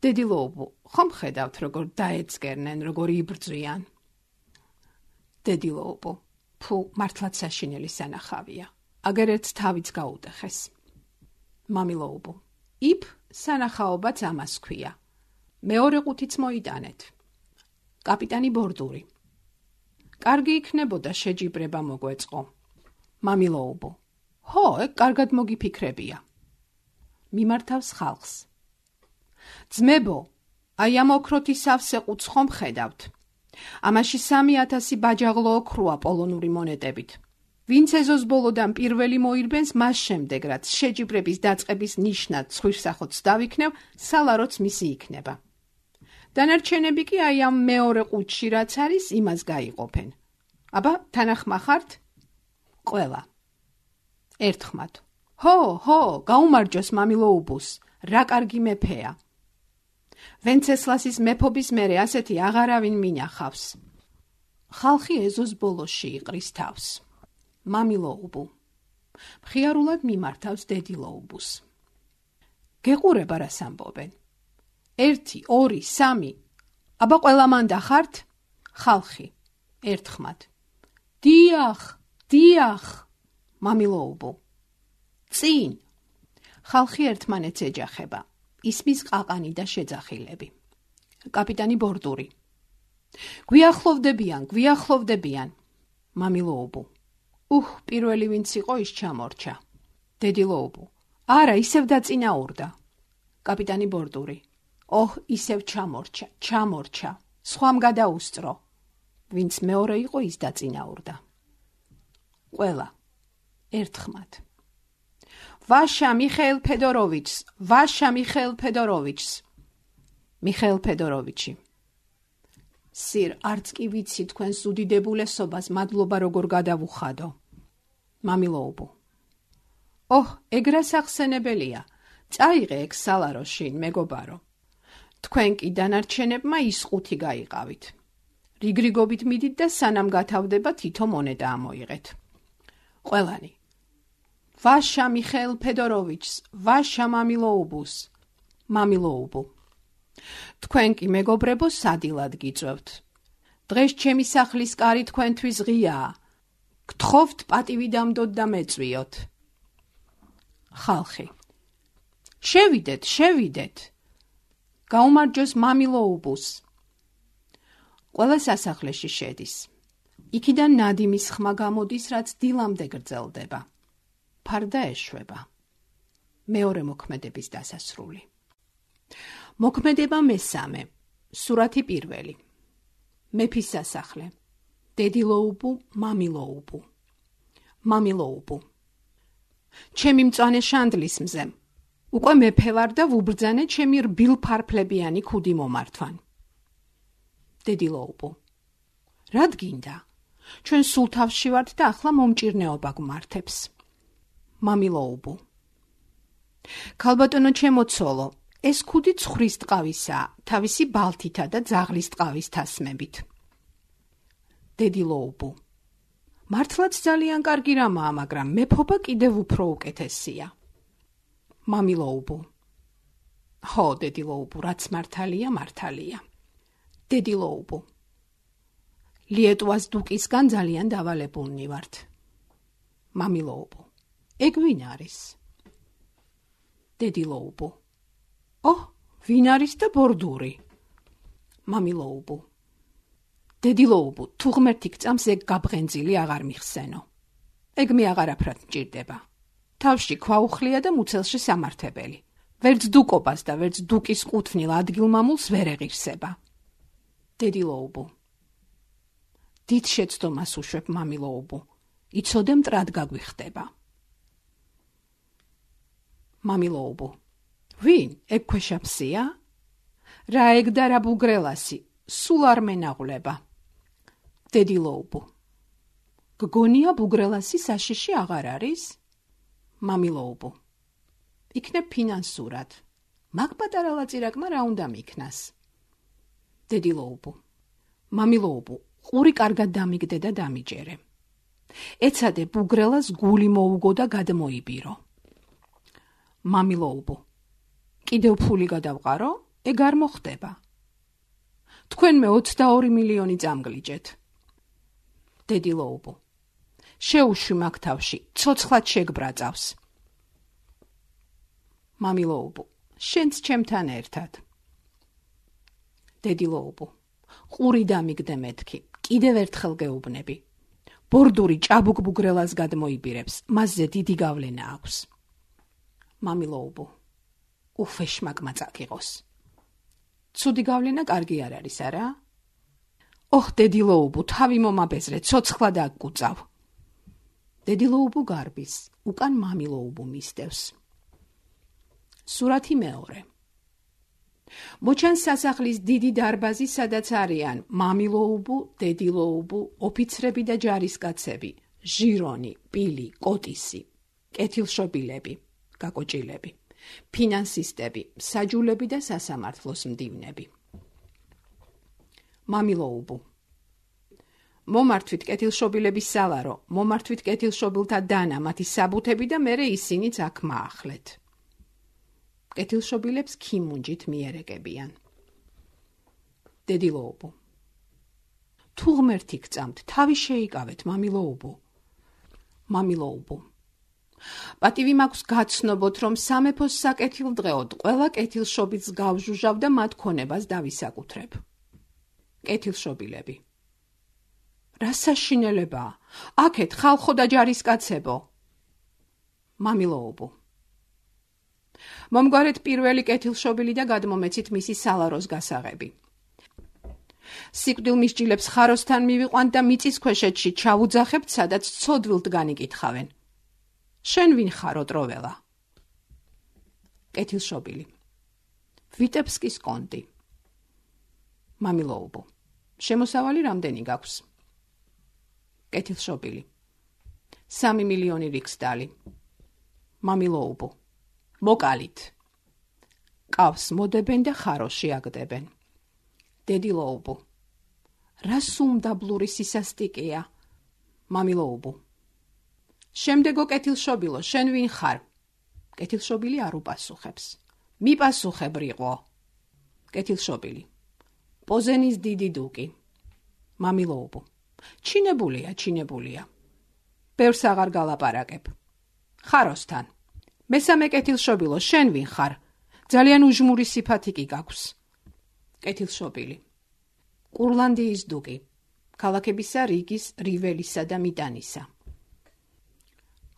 დედილოუბუ, ხომ ხედავთ, როგორ დაეწკერნენ, როგორ იბრძვიან. დედილოუბუ. ფუ, მართლაც საშინელი სანახავია. აგერ ერთს თავიც გაუტეხეს. მამილოუბუ. იფ სანახაობაც ამას ქვია. მეორე ყუთიც მოიტანეთ. კაპიტანი ბორდური. კარგი იქნებოდა შეჯიბრება მოგვეწყო. მამილოუბუ. ჰო, ეგ კარგად მოგიფიქრებია. მიმართავს ხალხს. ძმებო, აი ამ ოქროთი სავსე ყუთს ხომ ხედავთ? ამაში 3000 ბაჯაღლო ოქროა პოლონური მონეტებით. ვინც ეზოს ბოლოდან პირველი მოირბენს, მას შემდეგ, რაც შეჯიბრების დაწყების ნიშნად ცხვირსახოც დავიქნევ, სალაროც მისი იქნება. დანარჩენები კი აი ამ მეორე ყუთში რაც არის, იმას გაიყოფენ. აბა, თანახმა ხართ? ყველა. ერთხმად. ჰო, გაუმარჯოს მამილოუბუს, რა კარგი მეფეა. ვენცესლასის მეფობის მერე ასეთი აღარავინ მინახავს. ხალხი ეზოს ბოლოში იყრის თავს. მამილოუბუ. მხიარულად მიმართავს დედილოუბუს. გეყურება რას ამბობენ? 1, 2, 3. აბა ყველა მანდა ხართ? ხალხი. ერთხმად. დიახ. მამილოუბუ. წინ. ხალხი ერთმანეთს ეჯახება. ისმის ყაყანი და შეძახილები. კაპიტანი ბორდური. გვიახლოვდებიან. მამილოუბუ. პირველი ვინც იყო ის ჩამორჩა. დედილოუბუ. არა, ისევ დაწინაურდა. კაპიტანი ბორდური. ისევ ჩამორჩა. სხვამ გადაუსწრო. ვინც მეორე იყო ის დაწინაურდა. ყველა. ერთხმად. ვაშა მიხეილ ფედოროვიჩს. მიხეილ ფედოროვიჩი. სირ, არც კი ვიცი თქვენს უდიდებულესობას, მადლობა როგორ გადავუხადო. მამილოუბუ. ეგ რა სახსენებელია. წაიღე ეგ სალაროში, მეგობარო. თქვენ კი დანარჩენებმა ის ყუთი გაიყავით. რიგრიგობით მიდით და სანამ გათავდება თითო მონეტა ამოიღეთ. ყველანი. ვაშა მიხეილ ფედოროვიჩს, ვაშა მამილოუბუს. მამილოუბუ. თქვენ კი მეგობრებო სადილად გიწევთ. დღეს ჩემი სახლის კარი თქვენთვის ღიაა. გთხოვთ პატივი დამდოთ და მეწვიოთ. ხალხი. შევიდეთ. გაუმარჯოს მამილოუბუს. ყველა სასახლეში შედის. იქიდან ნადიმის ხმა გამოდის, რაც დილამდე გრძელდება. ფარდა ეშვება. მეორე მოქმედების დასასრული. მოქმედება მე-3. სურათი 1. მეფის სასახლე. დედილოუბუ, მამილოუბუ. მამილოუბუ. ჩემი მწვანე შანდლის მზე. უკვე მეფე ვარ და ვუბრძანე ჩემი რბილფარფლებიანი ქუდი მომართვან. დედილოუბუ. რად გინდა? ჩვენ სულ თავში ვართ და ახლა მომჭირნეობა გვმართებს. მამილოუბუ. ქალბატონო ჩემო ცოლო, ეს ქუდი ცხვრის ტყავისაა, თავისი ბალთითა და ძაღლის ტყავის თასმებით. დედილოუბუ. მართლაც ძალიან კარგი რამაა, მაგრამ მეფობა კიდევ უფრო უკეთესია. მამილოუბუ. ხო, დედილოუბუ, რაც მართალია. დედილოუბუ. ლიეტუას დუკისგან ძალიან დავალებულნი ვართ. მამილოუბუ. ეგ ვინ არის? დედილოუბუ. ვინ არის და ბორდური? მამილოუბუ. დედილოუბო, თუ ღმერთი გწამს ეგ გაბღენძილი აღარ მიხსენო. ეგ მე აღარაფრად მჭირდება. თავში ქვაუხლია და მუცელში სამართებელი. ვერც დუკობას და ვერც დუკის ყუთვნილ ადგილმამულს ვერ ეღირსება. დედილოუბო. დიდ შეცდომას უშვებ მამილოუბო. იცოდე მტრად გაგვიხდება. მამილოუბო. ვინ? ეგ ქვეშაფსია? რა ეგ და რა ბუგრელასი? სულ არ მენაღვლება. დედილოუბო. გგონია ბუგრელასი საშიში აღარ არის? მამილოუბო. იქნებ ფინანსურად. მაგ პატარა ლაწირაკმა რა უნდა მიქნას? დედილოუბო. მამილოუბო, ყური კარგად დამიგდე და დამიჯერე. ეცადე ბუგრელას გული მოუგო და გადმოიბირო. მამილოუბო. კიდევ ფული გადავყარო? ეგ არ მოხდება. თქვენმე 22 მილიონი წამგლიჯეთ. დედილოუბო. შეუშვი მაგ თავში, ცოცხლად შეგბრაწავს. მამილოუბო. შენც ჩემთან ერთად. დედილოუბო. ყური დამიგდე მეთქი, კიდევ ერთხელ გეუბნები. ბორდური ჭაბუკ ბუგრელას გადმოიბირებს, მასზე დიდი გავლენა აქვს. მამილოუბო. უფეშმაკმა წაკიღოს. ცუდი გავლენა კარგი არ არის, არა? ოხ, დედილოუბო, თავი მომაბეზრე, ცოცხლად აგკუწავ. დედილოუბო გარბის, უკან მამილოუბო მისდევს. სურათი მეორე. მოჩანს სასახლის დიდი დარბაზი, სადაც არიან მამილოუბო, დედილოუბო, ოფიცრები და ჯარისკაცები, ჟირონი, პილი, კოტისი, კეთილშობილები, გაკოჭილები, ფინანსისტები, საჯულები და სასამართლოს მდივნები. მამილოუბო. მომართვით კეთილშობილების სალარო, მომართვით კეთილშობილთა დანა, მათი საბუთები და მერე ისინიც აქ მაახლეთ. კეთილშობილებს ქიმუნჯით მიერეკებიან. დედილოუბო. თუ ღმერთი გწამთ, თავი შეიკავეთ, მამილოუბო. მამილოუბო. პატივი მაქვს გაცნობოთ, რომ სამეფოს საკეთილდღეოდ ყველა კეთილშობილს გავჟუჟავ და მათ ქონებას დავისაკუთრებ. კეთილშობილები. რა საშინელებაა? აქეთ ხალხო და ჯარისკაცებო. მამილოუბო. მომგვარეთ პირველი კეთილშობილი და გადმომეცით მისი სალაროს გასაღები. სიკვდილ მისჯილებს ხაროსთან მივიყვანთ და მიწის ქვეშეთში ჩავუძახებთ, სადაც ცოდვილთ განიკითხავენ. შენ ვინ ხარო, ტროველა? კეთილშობილი. ვიტებსკის კონტი. მამილოუბო. შემოსავალი რამდენი გაქვს? კეთილშობილი. 3 მილიონი რიქსდალი. მამილოუბო. მოკალით. ყავს მოდებენ და ხაროში აგდებენ. დედილოუბო. რა სუმდაბლური სისასტიკეა? მამილოუბო. შემდეგო კეთილშობილო, შენ ვინ ხარ? კეთილშობილი არ უპასუხებს. მიპასუხებ, რიყო. კეთილშობილი. პოზენის დიდი დუკი. მამილოუბო. ჩინებულია. ბევრს აღარ გალაპარაკებ. ხაროსთან. მესამე კეთილშობილო, შენ ვინ ხარ? ძალიან უჟმური სიფათი კი გაქვს. კეთილშობილი. კურლანდიის დუკი. ქალაქებისა რიგის, რიველისა და მიტანისა.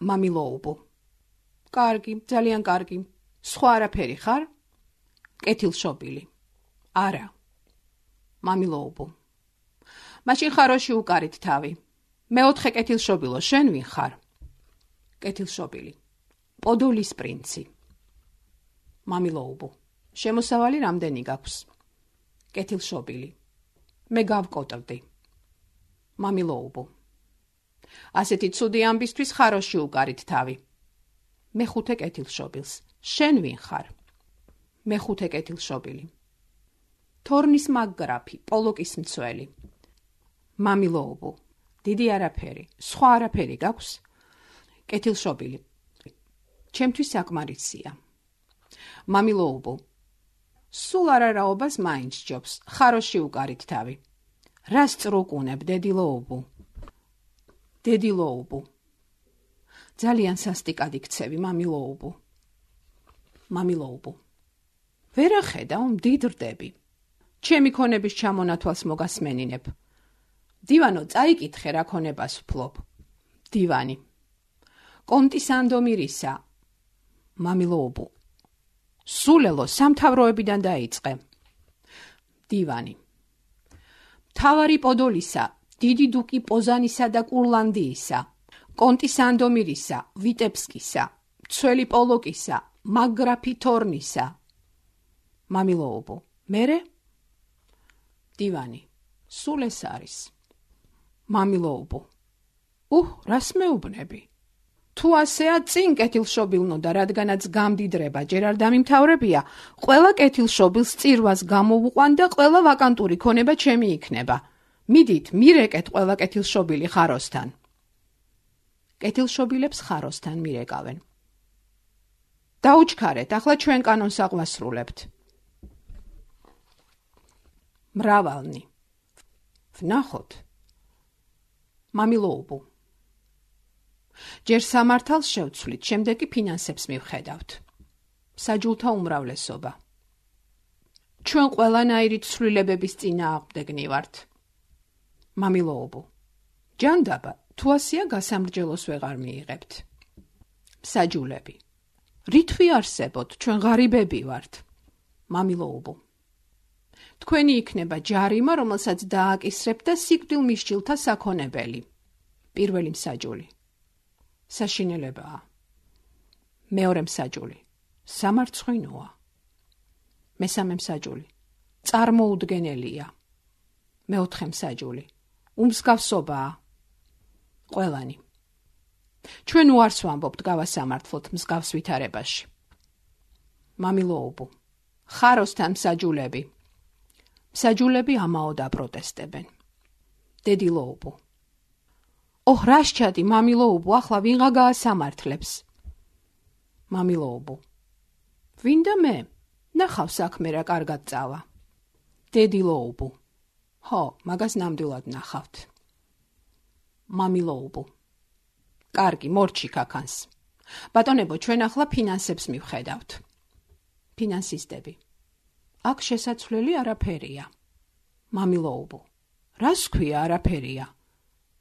მამილოუბო. კარგი, ძალიან კარგი. სხვა არაფერი ხარ? კეთილშობილი. არა. მამილოუბო. მაშინ ხაროში უკარით თავი. მეოთხე კეთილშობილო, შენ ვინ ხარ? კეთილშობილი. პოდოლის პრინცი. მამილოუბო. შემოსავალი რამდენი გაქვს? კეთილშობილი. მე გავკოტრდი. მამილოუბო. ასეთი ცუდი ამბისთვის ხაროში უკარით თავი. მეხუთე კეთილშობილს. შენ ვინ ხარ? მეხუთე კეთილშობილი. თორნის მაგგრაფი, პოლოკის მცველი. მამილოუბო. დიდი არაფერი, სხვა არაფერი გაქვს? კეთილშობილი. ჩემთვის საკმარისია. მამილოუბო. სულ არარაობას მაინც ჯობს, ხაროში უკარით თავი. რას წრუკუნებ, დედილოუბო? დედილოუბო. ძალიან სასტიკად იქცევი, მამილოუბო. მამილოუბო. ვერ ახედავ, მდიდრდები. ჩემი ქონების ჩამონათვალს მოგასმენინებ. დივანო, წაიკითხე, რა ქონებას ვფლობ. დივანი. კონტი სანდომირისა. მამილოუბუ. სულელო, სამთავროებიდან დაიწყე. დივანი. მთავარი პოდოლისა, დიდი დუკი პოზანისა და კურლანდიისა, კონტი სანდომირისა, ვიტებსკისა, მცველი პოლოკისა, მაგრაფი თორნისა. მამილოუბუ. მერე? დივანი. სულ ეს არის. მამილოუბუ. რას მეუბნები? თუ ასეა, წინ კეთილშობილნო და რადგანაც გამდიდრება ჯერ არ დამიმთავრებია, ყველა კეთილშობილს წირვას გამოვუყვან და ყველა ვაკანტური ქონება ჩემი იქნება. მიდით, მირეკეთ ყველა კეთილშობილი ხაროსთან. კეთილშობილებს ხაროსთან მირეკავენ. დაუჩქარეთ, ახლა ჩვენ კანონს აღვასრულებთ. მრავალნი. ვნახოთ. მამილოუბუ. ჯერ სამართალს შევცვლით, შემდეგ კი ფინანსებს მივხედავთ. საჯულთა უმრავლესობა. ჩვენ ყველანაირი ცვლილებების წინააღმდეგნი ვართ. მამილოუბუ. ჯანდაბა, თუ ასეა გასამრჯელოს ვეღარ მიიღებთ. საჯულები. რით ვიარსებოთ, ჩვენ ღარიბები ვართ. მამილოუბუ. თქვენი იქნება ჯარიმა, რომელსაც დააკისრებთ და სიკვდილ მისჯილთა საქონებელი. პირველი მსაჯული. საშინელებაა. მეორე მსაჯული. სამარცხვინოა. მესამე მსაჯული. წარმოუდგენელია. მეოთხე მსაჯული. უმსგავსობაა. ყველანი. ჩვენ უარს ვამბობთ გავასამართლოთ მსგავს ვითარებაში. მამილოუბუ. ხაროსთან მსაჯულები. მსაჯულები ამაოდ აპროტესტებენ. დედილოუბუ. რაშჩადი, მამილოუბუ, ახლა ვინღა გაასამართლებს? მამილოუბუ. ვინ და მე? ნახავ საქმე რა კარგად წავა. დედილოუბუ. მაგას ნამდვილად ნახავთ. მამილოუბუ. კარგი, მორჩი ქაქანს. ბატონებო, ჩვენ ახლა ფინანსებს მივხედავთ. ფინანსისტები. აქ შესაცვლელი არაფერია. მამილოუბუ. რას ქვია არაფერია?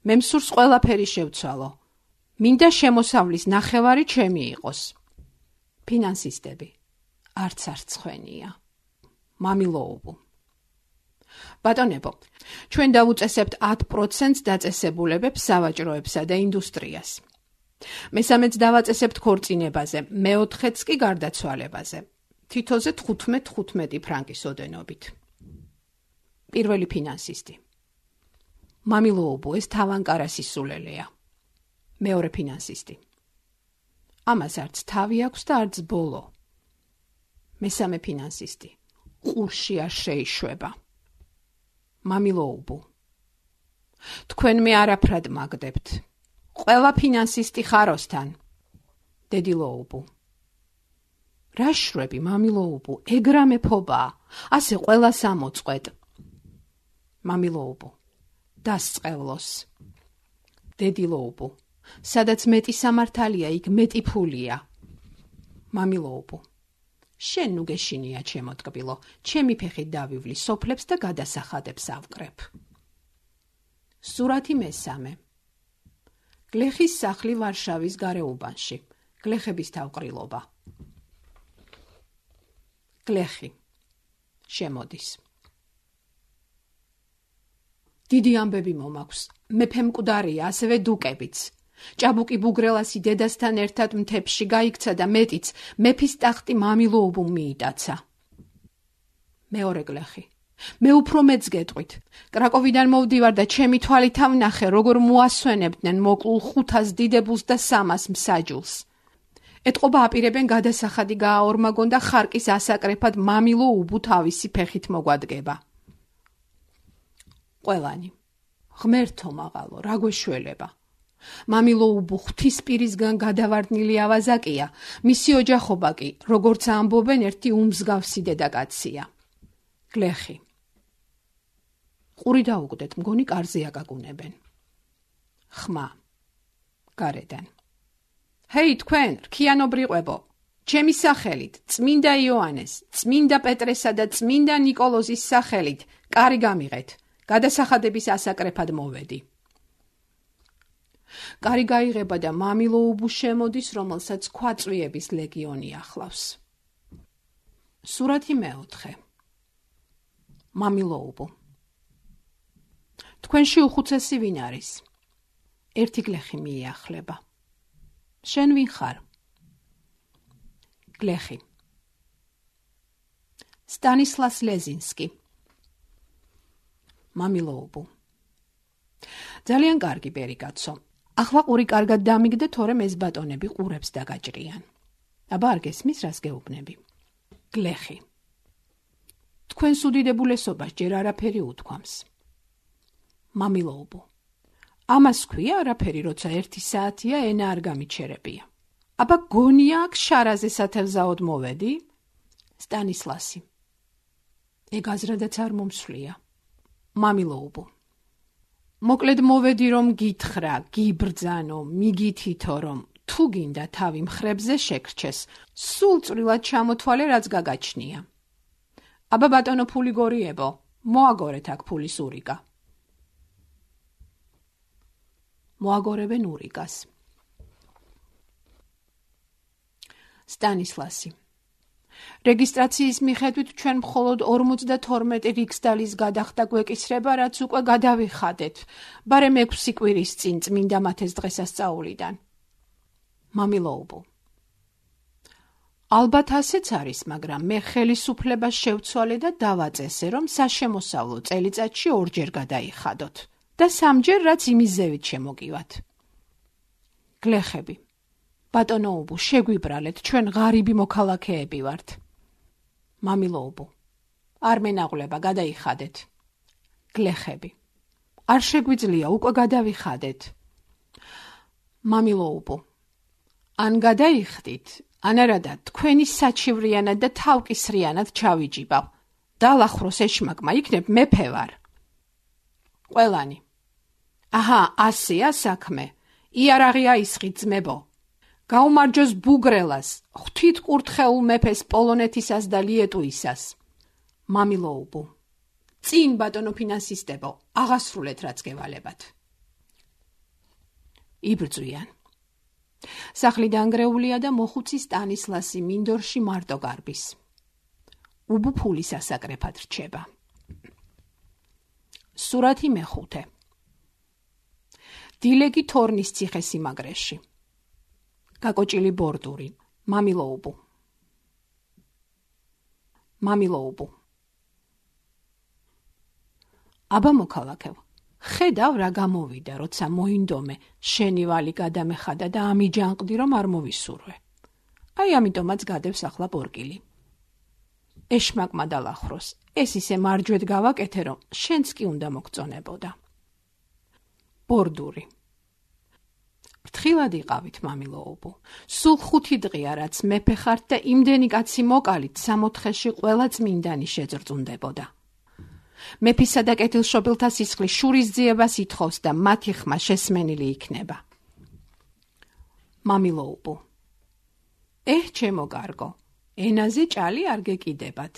მე მსურს ყველაფერი შევცვალო. მინდა შემოსავლის ნახევარი ჩემი იყოს. ფინანსისტები. არც ცხენია. მამილოუბუ. ბატონებო, ჩვენ დავუწესებთ 10% დაწესებულებებს სავაჭროებსა და ინდუსტრიას. მესამეც დავაწესებთ ქორწინებაზე, მეოთხეც კი გარდაცვალებაზე. თითოზე 15 ფრანკის ოდენობით. პირველი ფინანსისტი. მამილოუბუ, ეს თავანკარას ისულელია. მეორე ფინანსისტი. ამას არც თავი აქვს და არც ბოლო. მესამე ფინანსისტი. ყურში არ შეიშვება. მამილოუბუ. თქვენ მე არაფრად მაგდებთ. ყველა ფინანსისტი ხაროსთან. დედილოუბუ. რა შვები, მამილოუბუ, ეგრა მეფობაა, ასე ყველას ამოწყვეტ. მამილოუბუ. დასწყევლოს. დედილოუბუ. სადაც მეტი სამართალია, იქ მეტი ფულია. მამილოუბუ. შენ ნუ გეშინია ჩემო ტკბილო, ჩემი ფეხით დავივლი სოფლებს და გადასახადებს ავკრებ. სურათი მესამე. გლეხის სახლი ვარშავის გარეუბანში. გლეხების თავყრილობა. გლეხი. შემოდის. დიდი ამბები მომაქვს. მეფე მკვდარია, ასევე დუკებიც. ჭაბუკი ბუგრელასი დედასთან ერთად მთებში გაიქცა და მეტიც მეფის ტახტი მამილოუბუმ მიიტაცა. მეორე გლეხი. მე უფრო მეც გეტყვით. კრაკოვიდან მოვდივარ და ჩემი თვალით ვნახე, როგორ მოასვენებდნენ მოკლულ 500 დიდებულს და 300 მსაჯულს. ეტყობა აპირებენ გადასახადი გააორმაგონ და ხარკის ასაკრეფად მამილოუბუ თავისი ფეხით მოგვადგება. ყველანი. ღმერთო მაღალო, რა გვეშველება. მამილოუბუ ღვთისპირისგან გადავარდნილი ავაზაკია, მისი ოჯახობა კი, როგორც ამბობენ, ერთი უმსგავსი დედაკაცია. გლეხი. ყური დაუკვდეთ, მგონი კარზე აკაკუნებენ. ხმა. გარედან. ჰეი თქვენ, რქიანობრიყვებო, ჩემი სახელით, წმინდა იოანეს, წმინდა პეტრესა და წმინდა ნიკოლოზის სახელით, კარი გამიღეთ, გადასახადების ასაკრეფად მოვედი. კარი გაიღება და მამილოუბუ შემოდის, რომელსაც ქვაწვიების ლეგიონი ახლავს. სურათი მეოთხე. მამილოუბუ. თქვენში უხუცესი ვინ არის? ერთი გლეხი მიიახლება. შენ ვინ ხარ? გლეხი. სტანისლას ლეზინსკი. მამილოუბუ. ძალიან კარგი ბერიკაცო. ახლა ყური კარგად დამიგდე, თორემ ეს ბატონები ყურებს დაგაჭრიან. აბა არ გესმის, რას გეუბნები? გლეხი. თქვენს უდიდებულესობას ჯერ არაფერი უთქვამს. მამილოუბუ. ამას ქვია არაფერი, როცა 1 საათია ენა არ გამიჩერებია. აბა გონია აქ შარაზე სათევზაოდ მოვედი? სტანისლასი. ეგ აზრადაც არ მომსვლია. მამილოუბუ. მოკლედ მოვედი, რომ გითხრა, გიბრძანო, მიგითითო, რომ თუ გინდა თავი მხრებზე შეგრჩეს, სულ წვრილად ჩამოთვალე, რაც გაგაჩნია. აბა ბატონო ფული გორიებო, მოაგორეთ აქ ფულის ურიგა. მოაგორებენ ურიგას. სტანისლასი. რეგისტრაციის მიხედვით ჩვენ მხოლოდ 52 რიქსდალის გადახდა გვეკისრება, რაც უკვე გადავიხადეთ, ბარემ 6 კვირის წინ წმინდა მათეს დღესასწაულიდან. მამილოუბუ. ალბათ ასეც არის, მაგრამ მე ხელისუფლებას შევცვალე და დავაწესე, რომ საშემოსავლო წელიწადში 2 ჯერ გადაიხადოთ და 3 ჯერ, რაც იმის ზევით შემოგივათ. გლეხები. ბატონოუბუ, შეგვიბრალეთ, ჩვენ ღარიბი მოქალაქეები ვართ. მამილოუბუ. არ მენაღვლება, გადაიხადეთ. გლეხები. არ შეგვიძლია, უკვე გადავიხადეთ. მამილოუბუ. ან გადაიხდით, ან არადა თქვენი საჩივრიანად და თავკისრიანად ჩავიჯიბავ. დალახვროს ეშმაკმა, იქნებ მეფე ვარ. ყველანი. აჰა, ასეა საქმე. იარაღი აისხით ძმებო. გაუმარჯოს ბუგრელას, ღვთით კურთხეულ მეფეს პოლონეთისას და ლიეტუისას. მამილოუბუ. წინ ბატონო ფინანსისტებო, აღასრულეთ რაც გევალებათ. იბრძვიან. სახლი დანგრეულია და მოხუცი სტანისლასი მინდორში მარტო გარბის. უბუ ფულის ასაკრეფად რჩება. სურათი მეხუთე. დილეგი თორნის ციხესიმაგრეში. გაკოჭილი ბორდური. მამილოუბუ. მამილოუბუ. აბა მოქალაქევ, ხედავ რა გამოვიდა, როცა მოინდომე, შენი ვალი გადამეხადა და ამიჯანყდი, რომ არ მოვისურვე. აი ამიტომაც გადევს ახლა ბორკილი. ეშმაკმა დალახვროს, ეს ისე მარჯვედ გავაკეთე, რომ შენც კი უნდა მოგწონებოდა. ბორდური. ფრთხილად იყავით, მამილოუბუ. სულ 5 დღეა, რაც მეფე ხართ და იმდენი კაცი მოკალით, 64-ში ყველა წმინდანი შეძრწუნდებოდა. მეფისა და კეთილშობილთა სისხლის შურისძიებას ითხოვს და მათი ხმა შესმენილი იქნება. მამილოუბუ. ჩემო კარგო, ენაზე ჭალი არ გეკიდებათ.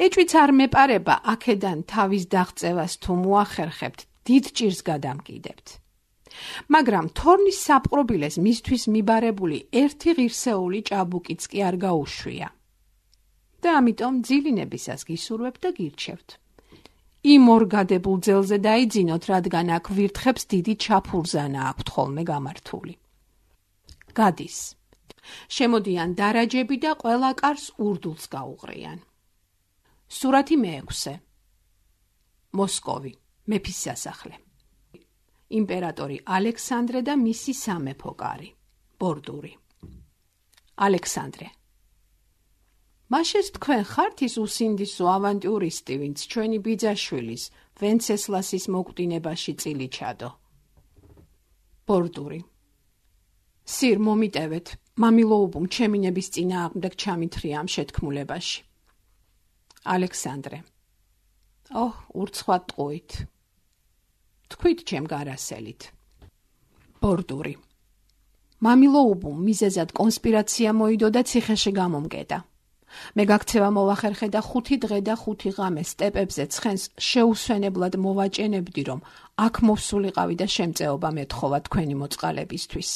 ეჭვიც არ მეპარება, აქედან თავის დაღწევას თუ მოახერხებთ, დიდ ჭირს გადამკიდებთ. მაგრამ თორნის საპყრობილეს მისთვის მიბარებული ერთი ღირსეული ჭაბუკიც კი არ გაუშვია. და ამიტომ ძილინებისას გისურვებთ და გირჩევთ. იმ ორგადებულ ძელზე დაიძინოთ, რადგან აქ ვირთხებს დიდი ჩაფურზანა აქვთ ხოლმე გამართული. გადის. შემოდიან დარაჯები და ყველა კარს ურდულს გაუღრიან. სურათი მეექვსე. მოსკოვი, მეფის სასახლე. იმპერატორი ალექსანდრე და მისი სამეფო კარი. ბორდური. ალექსანდრე. მაშეს თქვენ ხართ ის უსინდისო ავანტიურისტი, ვინც ჩვენი ბიძაშვილის, ვენცესლასის მოკვდინებაში წილი ჩადო. ბორდური. სირ მომიტევეთ, მამილოუბუმ ჩემინების წინააღმდეგ ჩამithრია ამ შეთქმულებაში. ალექსანდრე. ურცხვად ტყუით. თქვით ჩემ გარასელით. ბორდური. მამილოუბუმ მიზეზად კონსპირაცია მოიდო და ციხეში გამომკეტა. მე გაქცევა მოვახერხე და 5 დღე და 5 ღამე სტეპებზე ცხენს შეუსვენებლად მოვაჭენებდი, რომ აქ მოვსულიყავი და შემწეობა მეთხოვა თქვენი მოწყალებისთვის.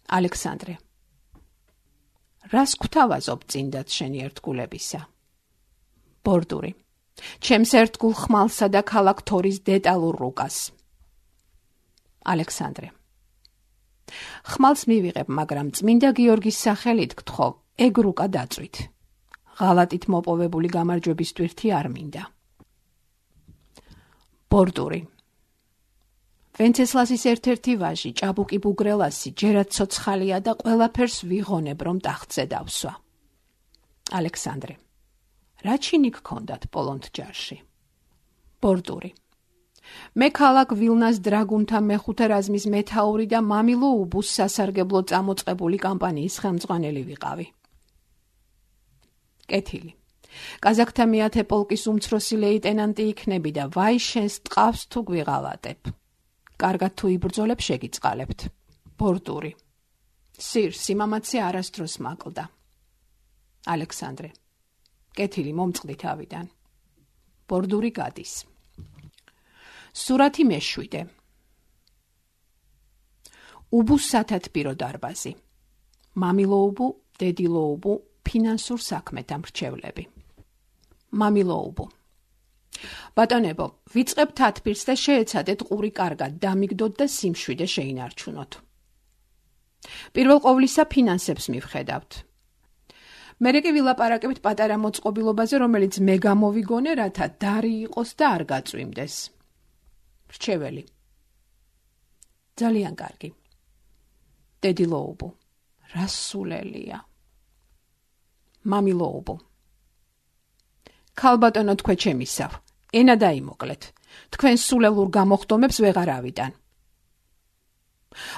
ალექსანდრე, რას გვთავაზობ წინდაც შენი ერთგულებისა? ბორდური, ჩემს ერთგულ ხმალსა და ქალაქ თორის დეტალურ რუკას. ალექსანდრე, ხმალს მივიღებ, მაგრამ წმინდა გიორგის სახელით გთხოვ, ეგ რუკა დაწვით. ღალატით მოპოვებული გამარჯვების ტვირთი არ მინდა. ბორდური, ვენცესლასის ერთ-ერთი ვაჟი, ჭაბუკი ბუგრელასი, ჯერაც ცოცხალია და ყველაფერს ვიღონებ, რომ ტახტზე დავსვა. ალექსანდრე, რა ჩინი გქონდათ პოლონთ ჯარში? ბორდური, მე ქალაქ ვილნას დრაგუნთა მეხუთე რაზმის მეთაური და მამილო უბუს სასარგებლო წამოწყებული კამპანიის ხელმძღვანელი ვიყავი. კეთილი. კაზაკთა მეათე პოლკის უმცროსი ლეიტენანტი იქნები და ვაი შენს ტყავს თუ გვიღალატებ. კარგად თუ იბრძოლებ შეგიწყალებთ. ბორდური, სირ სიმამაცე არასდროს მაკლდა. ალექსანდრე, კეთილი, მომწყდი თავიდან. ბორდური გადის. სურათი მე-7. უბუს სათათბირო დარბაზი. მამილო უბუ, დედილო უბუ, ფინანსურ საქმეთა მრჩევლები. მამილო უბუ, ბატონებო, ვიწყებთ თათბირს და შეეცადეთ ყური კარგად დამიგდოთ და სიმშვიდე შეინარჩუნოთ. პირველ ყოვლისა ფინანსებს მივხედავთ. მერე კი ვილაპარაკებთ პატარა მოწყობილობაზე, რომელიც მე გამოვიგონე, რათა დარი იყოს და არ გაწვიმდეს. მრჩეველი, ძალიან კარგი. დედილო უბუ, რა სულელია. მამილო უბუ, ქალბატონო, თქვენ ჩემისავ, ენა დაიმოკლეთ. თქვენ სულელურ გამოხდომებს ვეღარ ავიტან.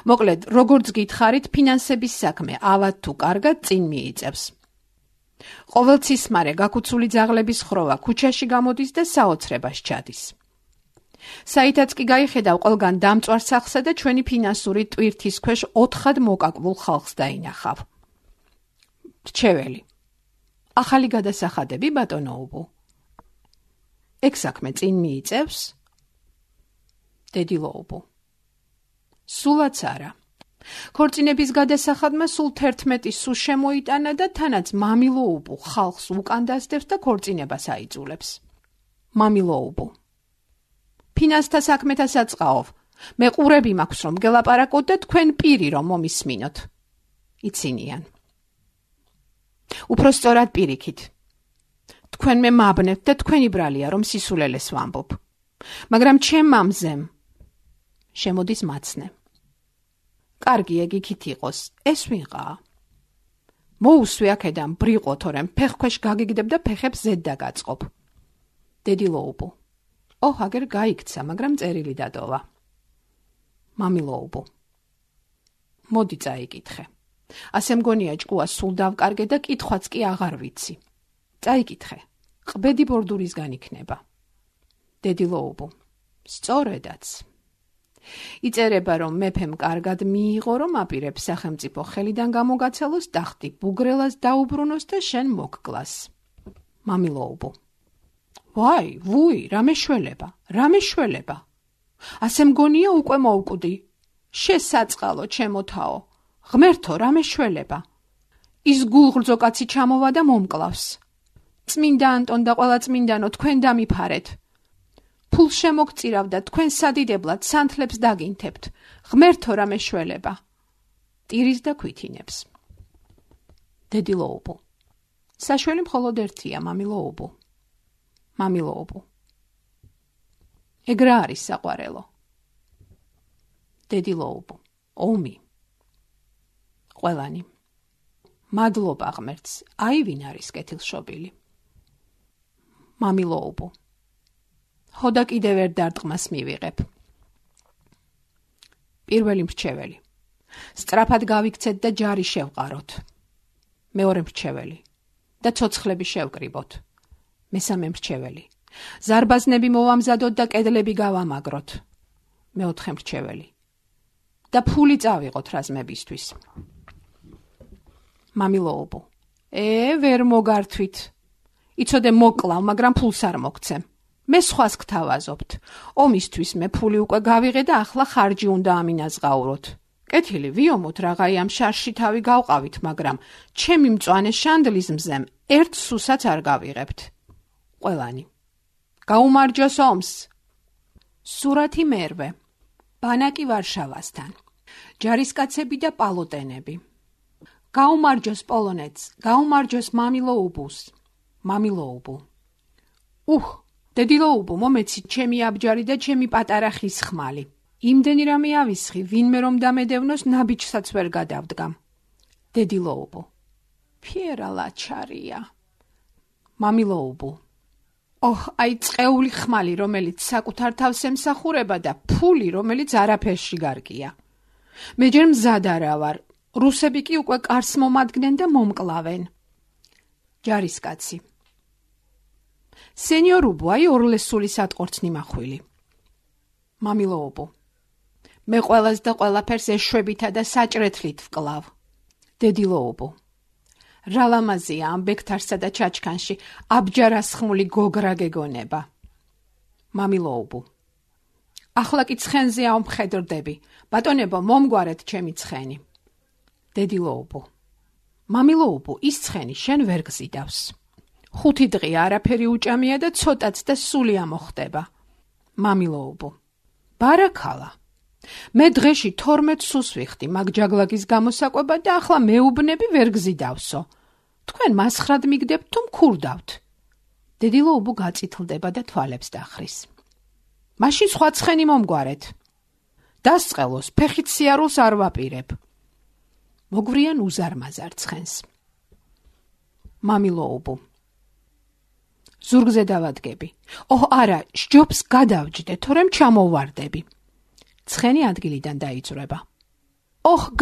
მოკლედ, როგორც გითხარით, ფინანსების საქმე ავად თუ კარგად წინ მიიწევს. ყოველცისმარე გაკუცული ძაღლების ხროვა ქუჩაში გამოდის და საოცრებას ჩადის. საითაც კი გაიხედავ ყველგან დამწვარ სახლსა და ჩვენი ფინანსური ტვირთის ქვეშ 4-ად მოკაკბულ ხალხს დაინახავ. მრჩეველი, ახალი გადასახადები, ბატონო უბუ? ეგ საქმე წინ მიიწევს? დედილო უბუ, სულაც არა. ქორწინების გადასახადმა სულ 11 სუ შემოიტანა და თანაც მამილო უბუ ხალხს უკანდასდებს და ქორწინებას აიძულებს. მამილო უბუ, ფინანსთა საქმეთა საწყაով. მე ყურები მაქვს, რომ გელაპარაკოთ და თქვენ პირი რომ მომისმინოთ. იცინიან. უფრო სწორად პირიქით. თქვენ მე მაბნევთ და თქვენი ბრალია, რომ სისულელეს ვამბობ. მაგრამ ჩემ მამზემ შემოდის მაცნე. კარგი, ეგ იქით იყოს, ეს ვიღაა. მოუსვი აქედან ბრიყო, თორემ ფეხქვეშ გაგიგდებ და ფეხებს ზედ დაგაწყობ. დედილო უბუ, აგერ გაიქცა, მაგრამ წერილი დატოვა. მამილო უბუ, მოდი წაიკითხე. ასე მგონია ჭკუა სულ დავკარგე და კითხვაც კი აღარ ვიცი. წაიკითხე, ყბედი ბორდურისგან იქნება. დედილო უბუ, სწორედაც. იწერება, რომ მეფემ კარგად მიიღო, რომ აპირებს სახელმწიფო ხელიდან გამოგაცალოს ტახტი, ბუგრელას დაუბრუნოს და შენ მოგკლას. მამილო უბუ, ვაი, ვუი, რა მეშველება. ასე მგონია უკვე მოვკვდი. შესაწყალო, ჩემო თაო, ღმერთო, რა მეშველება. ის გულღრძო კაცი ჩამოვა და მომკლავს. წმინდა ანტონ და ყველა წმინდანო, თქვენ დამიფარეთ. ფულ შემოგწირავ და თქვენ სადიდებლად სანთლებს დაგინთებთ. ღმერთო, რა მეშველება. ტირის და ქვითინებს. დედილო უბუ, საშველი მხოლოდ ერთია, მამილო უბუ. მამილო უბუ, ეგ რა არის საყვარელო? დედილო უბუ, ომი. ყველანი, მადლობა ღმერთს, აი ვინ არის კეთილშობილი. მამილო უბუ, ხოდა კიდევ ერთ დარტყმას მივიღებ. პირველი მრჩეველი, სწრაფად გავიქცეთ და ჯარი შევყაროთ. მეორე მრჩეველი, და ცოცხლები შევკრიბოთ. მესამე მრჩეველი, ზარბაზნები მოვამზადოთ და კედლები გავამაგროთ. მეოთხე მრჩეველი, და ფული წავიღოთ რაზმებისთვის. მამილო უბუ, ვერ მოგართვით. იცოდე მოკლავ, მაგრამ ფულს არ მოგცემ. მე სხვას გთავაზობთ. ომისთვის მე ფული უკვე გავიღე და ახლა ხარჯი უნდა ამინაზღაუროთ. კეთილი, ვიომოთ რაღაცა ამ შარში თავი გავყავით, მაგრამ ჩემი მწვანე შანდლის მზემ ერთ სუსაც არ გავიღებთ. ყველანი. გაუმარჯოს ომს. სურათი მერვე. ბანაკი ვარშავასთან. ჯარისკაცები და პალოტენები. გაუმარჯოს პოლონეთს, გაუმარჯოს მამილოუბუს. მამილოუბუ. დედილოუბუ, მომეცით ჩემი აბჯარი და ჩემი პატარა ხის ხმალი. იმდენი რამე ავისხი, ვინმე რომ დამედევნოს ნაბიჯსაც ვერ გადავდგამ. დედილოუბუ. ფიერა ლაჩარია. მამილოუბუ. აი წეული ხმალი, რომელიც საკუთარ თავს ემსახურება და ფული, რომელიც არაფერში გარკია. მე ჯერ მზად არა ვარ. რუსები კი უკვე კარს მომადგნენ და მომკლავენ. ჯარისკაცი. სენიორუბუ, აი ორლესული სატყორცნი მახვილი. მამილოუბუ. მე ყველას და ყველაფერს ეშვებითა და საჭრეთლით ვკლავ. დედილოუბუ. რა ლამაზია ამ ბექთარსა და ჩაჩქანში აბჯარასხმული გოგრა გეგონება. მამილოუბუ. ახლა კი ცხენზე ავმხედრდები. ბატონებო, მომგვარეთ ჩემი ცხენი. დედილოუბუ. მამილოუბუ, ის ცხენი შენ ვერ გზიდავს. 5 დღე არაფერი უჭამია და ცოტაც და სული ამოხდება. მამილოუბუ. ბარაქალა. მე დღეში 12 სულს ვიხდი მაგ ჯაგლაგის გამოსაკვება და ახლა მეუბნები ვერ გზიდავსო. თქვენ მასხრად მიგდებთ თუ მქურდავთ. დედილოუბუ გაწითლდება და თვალებს დახრის. მაშინ სხვა ცხენი მომგვარეთ. დასწყელოს, ფეხით სიარულს არ ვაპირებ. მოგვრიან უზარმაზარ ცხენს. მამილოუბუ. ზურგზე დავადგები. არა, სჯობს გადავჯდე, თორემ ჩამოვარდები. ცხენი ადგილიდან დაიწურება.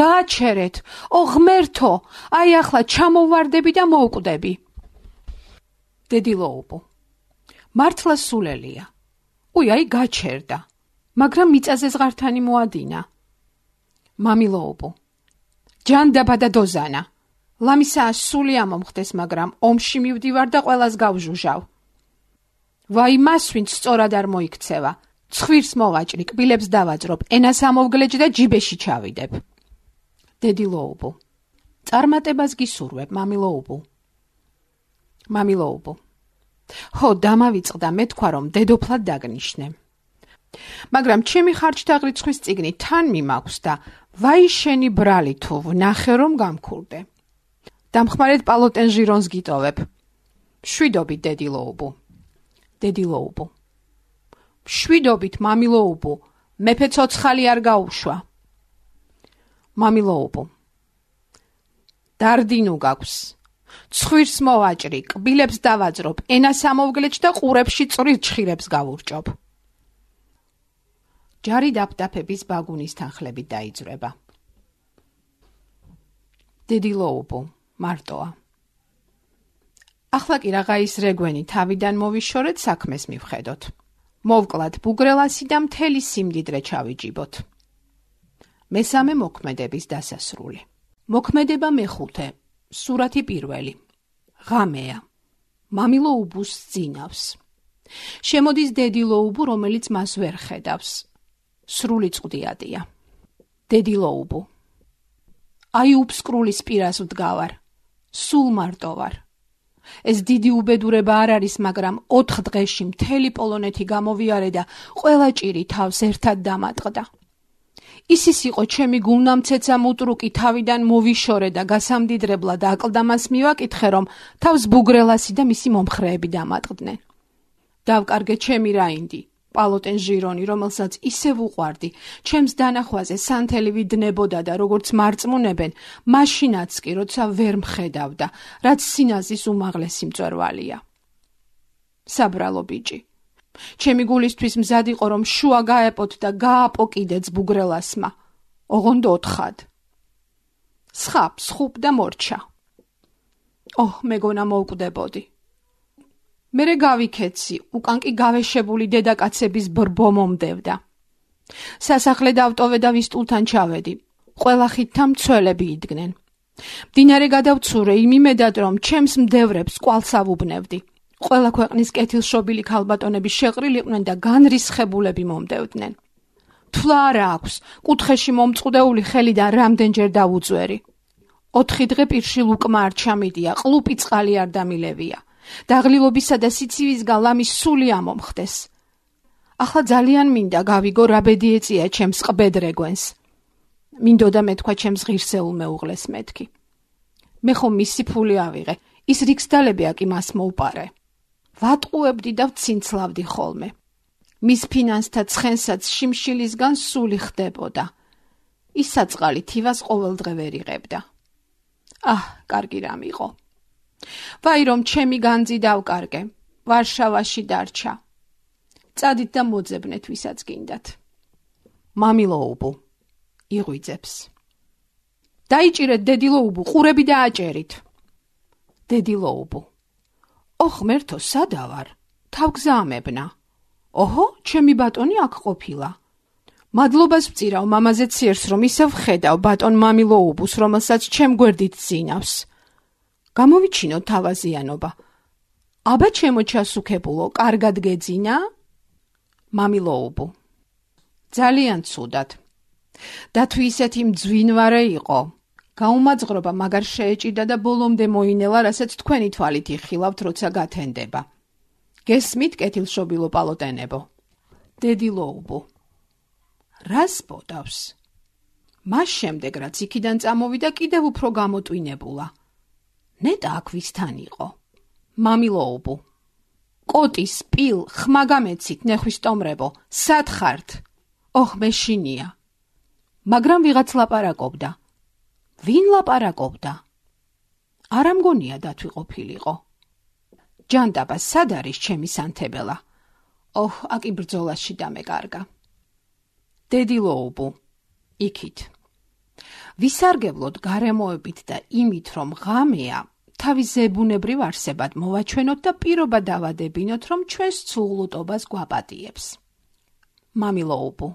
გააჩერეთ, ღმერთო, აი ახლა ჩამოვარდები და მოვკვდები. დედილოუბუ. მართლა სულელია. აი გაჩერდა, მაგრამ მიწაზე ზღართანი მოადინა. მამილოუბუ. ჯანდაბა და დოზანა. ლამისაა სული ამომხდეს, მაგრამ ომში მივდივარ და ყველას გავჟუჟავ. ვაი მას, ვინც სწორად არ მოიქცევა. ცხვირს მოვაჭრი, კბილებს დავაძრობ, ენას ამოვგლეჯ და ჯიბეში ჩავიდებ. დედილოუბუ. წარმატებას გისურვებ, მამილოუბუ. მამილოუბუ. დამავიწყდა, მე თქვა რომ დედოფლად დაგნიშნე. მაგრამ ჩემი ხარჯთაღრიცხვის წიგნი თან მიმაქვს და ვაი შენი ბრალი თუ ვნახე რომ გამქურდე. დამხმარეთ პალოტენ ჟირონს გიტოვებ. შვიდობით, დედილოუბუ. დედილოუბუ. შვიდობით, მამილოუბუ, მეფე ცოცხალი არ გაუშვა. მამილოუბუ. დარდინუ გაქვს. ცხვირს მოვაჭრი, კბილებს დავაძრობ, ენას ამოვგლეჯ და ყურებში წვრილ ჩხირებს გავურჭობ. ჯარი დაფდაფების ბაგუნის თანხლებით დაიძრება. დედილოუბუ, მარტოა. ახლა კი რაღაცის რეგვენი თავიდან მოვიშორეთ, საქმეს მივხედოთ. მოვკლათ ბუგრელასი და მთელი სიმდიდრე ჩავიჯიბოთ. მესამე მოქმედების დასასრული. მოქმედება მეხუთე. სურათი პირველი. ღამეა. მამილოუბუს ძინავს. შემოდის დედილოუბუ, რომელიც მას ვერ ხედავს. სრული წვდიადია. დედილოუბუ. აი უფსკრულის პირას ვდგავარ. სულ მარტო ვარ. ეს დიდი უბედურება არ არის, მაგრამ 4 დღეში მთელი პოლონეთი გამოვიარე და ყველა ჭირი თავს ერთად დამატყდა. ისის იყო ჩემი გულნამცეცა მუტრუკი თავიდან მოვიშორე და გასამდიდრებლად აკლდამას მივაკითხე, რომ თავს ბუგრელასი და მისი მომხრეები დამატყდნენ. დავკარგე ჩემი რაინდი, პალოტენ ჟირონი, რომელსაც ისევ უყვარდი, ჩემს დანახვაზე სანთელი ვიდნებოდა და როგორც მარწმუნებენ, მაშინაც კი, როცა ვერ მხედავდა, რაც სინაზის უმაღლესი მწვერვალია. საბრალო ბიჭი. ჩემი გულისთვის მზად იყო, რომ შუა გაეპოთ და გააპოკიდეც ბუგრელასმა. ოღონდ 4-ხად. სხაპ, სხუპ და მორჩა. მეგონა მოვკვდებოდი. მერე გავიქეცი, უკან კი გავეშებული დედაკაცების ბრბო მომდევდა. სასახლე დავტოვე და ვისტულთან ჩავედი. ყველა ხიდთან მცველები იდგნენ. მდინარე გადავცურე იმ იმედად, რომ ჩემს მდევრებს კვალს ავუბნევდი. ყველა ქვეყნის კეთილშობილი ქალბატონები შეყრილიყვნენ და განრისხებულები მომდევდნენ. თვლა არა აქვს, კუთხეში მომწყდეული ხელიდან რამდენჯერ დავუწვერი. 4 დღე პირშილ უკმა არ ჩამიდია, ყლუპი წყალი არ დამილევია. დაღლილობისა და სიცივისგან ლამის სული ამომხდეს. ახლა ძალიან მინდა გავიგო რა ბედი ეწია ჩემს ყბედრეგვენს. მინდოდა მეთქვა ჩემს ღირსეულ მეუღლეს მეთქი. მე ხომ მისი ფული ავიღე, ის რიქსდალებია კი მას მოუპარე. ვატყუებდი და ვცინცლავდი ხოლმე. მის ფინანსთა ცხენსაც შიმშილისგან სული ხდებოდა. ის საწყალი თივას ყოველდღე ვერ იღებდა. კარგი რამ იყო. ვაი რომ ჩემი განძი დავკარგე, ვარშავაში დარჩა. წადით და მოძებნეთ ვისაც გინდათ. მამილოუბუ იღვიძებს. დაიჭირეთ დედილოუბუ, ყურები დააჭერით. დედილოუბუ. ღმერთო, სადა ვარ? თავგზაამებნა. ოჰო, ჩემი ბატონი აქ ყოფილა. მადლობას ვწირავ მამაზე ციერს, რომ ისევ ხედავ ბატონ მამილოუბუს, რომელსაც ჩემ გვერდით ძინავს. გამოვიჩინო თავაზიანობა. აბა ჩემო ჩასუქებულო, კარგად გეძინა? მამილოუბუ. ძალიან ცუდად. და თუ ისეთი მძვინვარე იყო, გაუმაძღრობა მაგარ შეეჭიდა და ბოლომდე მოინელა, რასაც თქვენი თვალით იხილავთ, როცა გათენდება. გესმით, კეთილშობილო პალოტენებო? დედილოუბუ. რას ბოდავს? მას შემდეგ, რაც იქიდან წამოვიდა, კიდევ უფრო გამოტვინებულა. ნეტა აქ ვისთან იყო? მამილოუბუ. კოტის, პილ, ხმა გამეცით, ნეხვისტომრებო, სად ხართ? მეშინია. მაგრამ ვიღაც ლაპარაკობდა. ვინ ლაპარაკობდა? არა მგონია დათვი ყოფილიყო. ჯანდაბა, სად არის ჩემი სანთებელა? აკი ბრძოლაში დამეკარგა. დედილოუბუ. იქით. ვისარგებლოთ გარემოებით და იმით, რომ ღამეა, თავის ზებუნებრივ არსებად მოვაჩვენოთ და პირობა დავადებინოთ, რომ ჩვენს ცუღლუტობას გვაპატიებს. მამილოუბუ.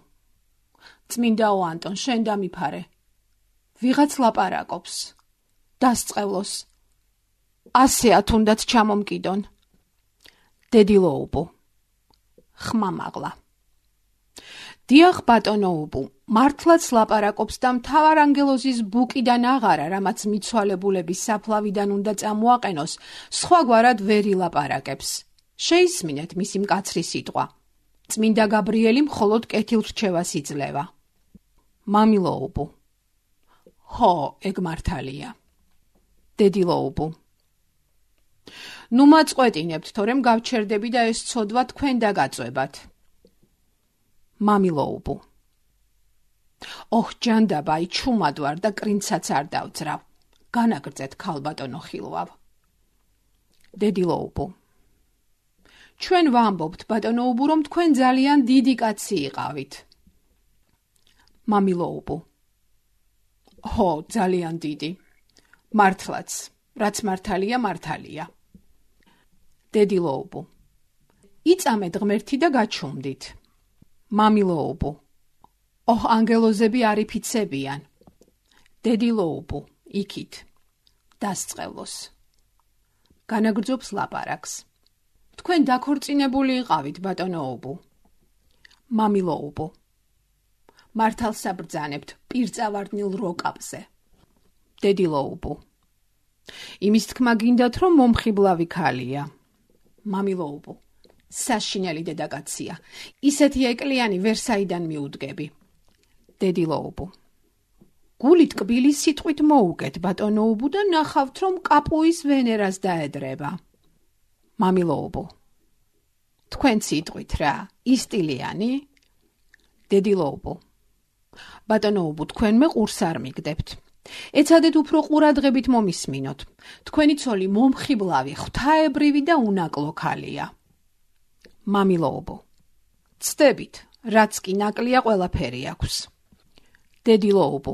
წმინდაო ანტონ, შენ დამიფარე. ვიღაც ლაპარაკობს. დასწყევლოს. 100 თუნდაც ჩამომკიდონ. დედილოუბუ. ხმამაღლა. დიახ, ბატონოუბუ, მართლაც ლაპარაკობს და მთავარანგელოზის ბუკიდან აღარა, რამაც მიცვალებულების საფლავიდან უნდა წამოაყენოს, სხვაგვარად ვერ ილაპარაკებს. შეისმინეთ მისი მკაცრი სიტყვა. წმინდა გაბრიელი მხოლოდ კეთილრჩევას იძლევა. მამილოუბუ. ეგ მართალია. დედილოუბუ. ნუ მაწყვეტინებთ, თორემ გავჩერდები და ეს ცოდვა თქვენ დაგაწვებათ. მამილოუბუ. ჯანდაბა, ჩუმად ვარ და კრინცაც არ დავძრავ. განაგრძეთ, ქალბატონო ხილვავ. დედილოუბუ. ჩვენ ვამბობთ, ბატონოუბუ, რომ თქვენ ძალიან დიდი კაცი იყავით. მამილოუბუ. ძალიან დიდი. მართლაც, რაც მართალია, მართალია. დედილოუბუ. იწამეთ ღმერთი და გაჩუმდით. მამილოუბუ. ანგელოზები არ იფიცებიან. დედილოუბუ. იქით. დასწყევლოს. განაგრძობს ლაპარაკს. თქვენ დაქორწინებული იყავით, ბატონოუბუ. მამილოუბუ. მართალს საბრძანებთ პირწავარდნილ როკაპზე. დედილოუბუ. იმის თქმა გინდათ, რომ მომხიბლავი ქალია. მამილოუბუ. საშინელი დედაკაცია. ისეთი ეკლიანი ვერსაიდან მიუდგები. დედილოუბუ. გულით კბილი სიტყვით მოუგეთ, ბატონოუბუ, და ნახავთ, რომ კაპუის ვენერას დაედრება. მამილოუბუ. თქვენ სიტყვით რა, ისტილიანი? დედილოუბუ. ბატონოუბუ, თქვენ მე ყურს არ მიგდებთ. ეცადეთ უფრო ყურადღებით მომისმინოთ. თქვენი ცოლი მომხიბლავი, ღვთაებრივი და უნაკლო ქალია. მამილოუბუ. ცდებით, რაც კი ნაკლია, ყველაფერი აქვს. დედილოუბუ.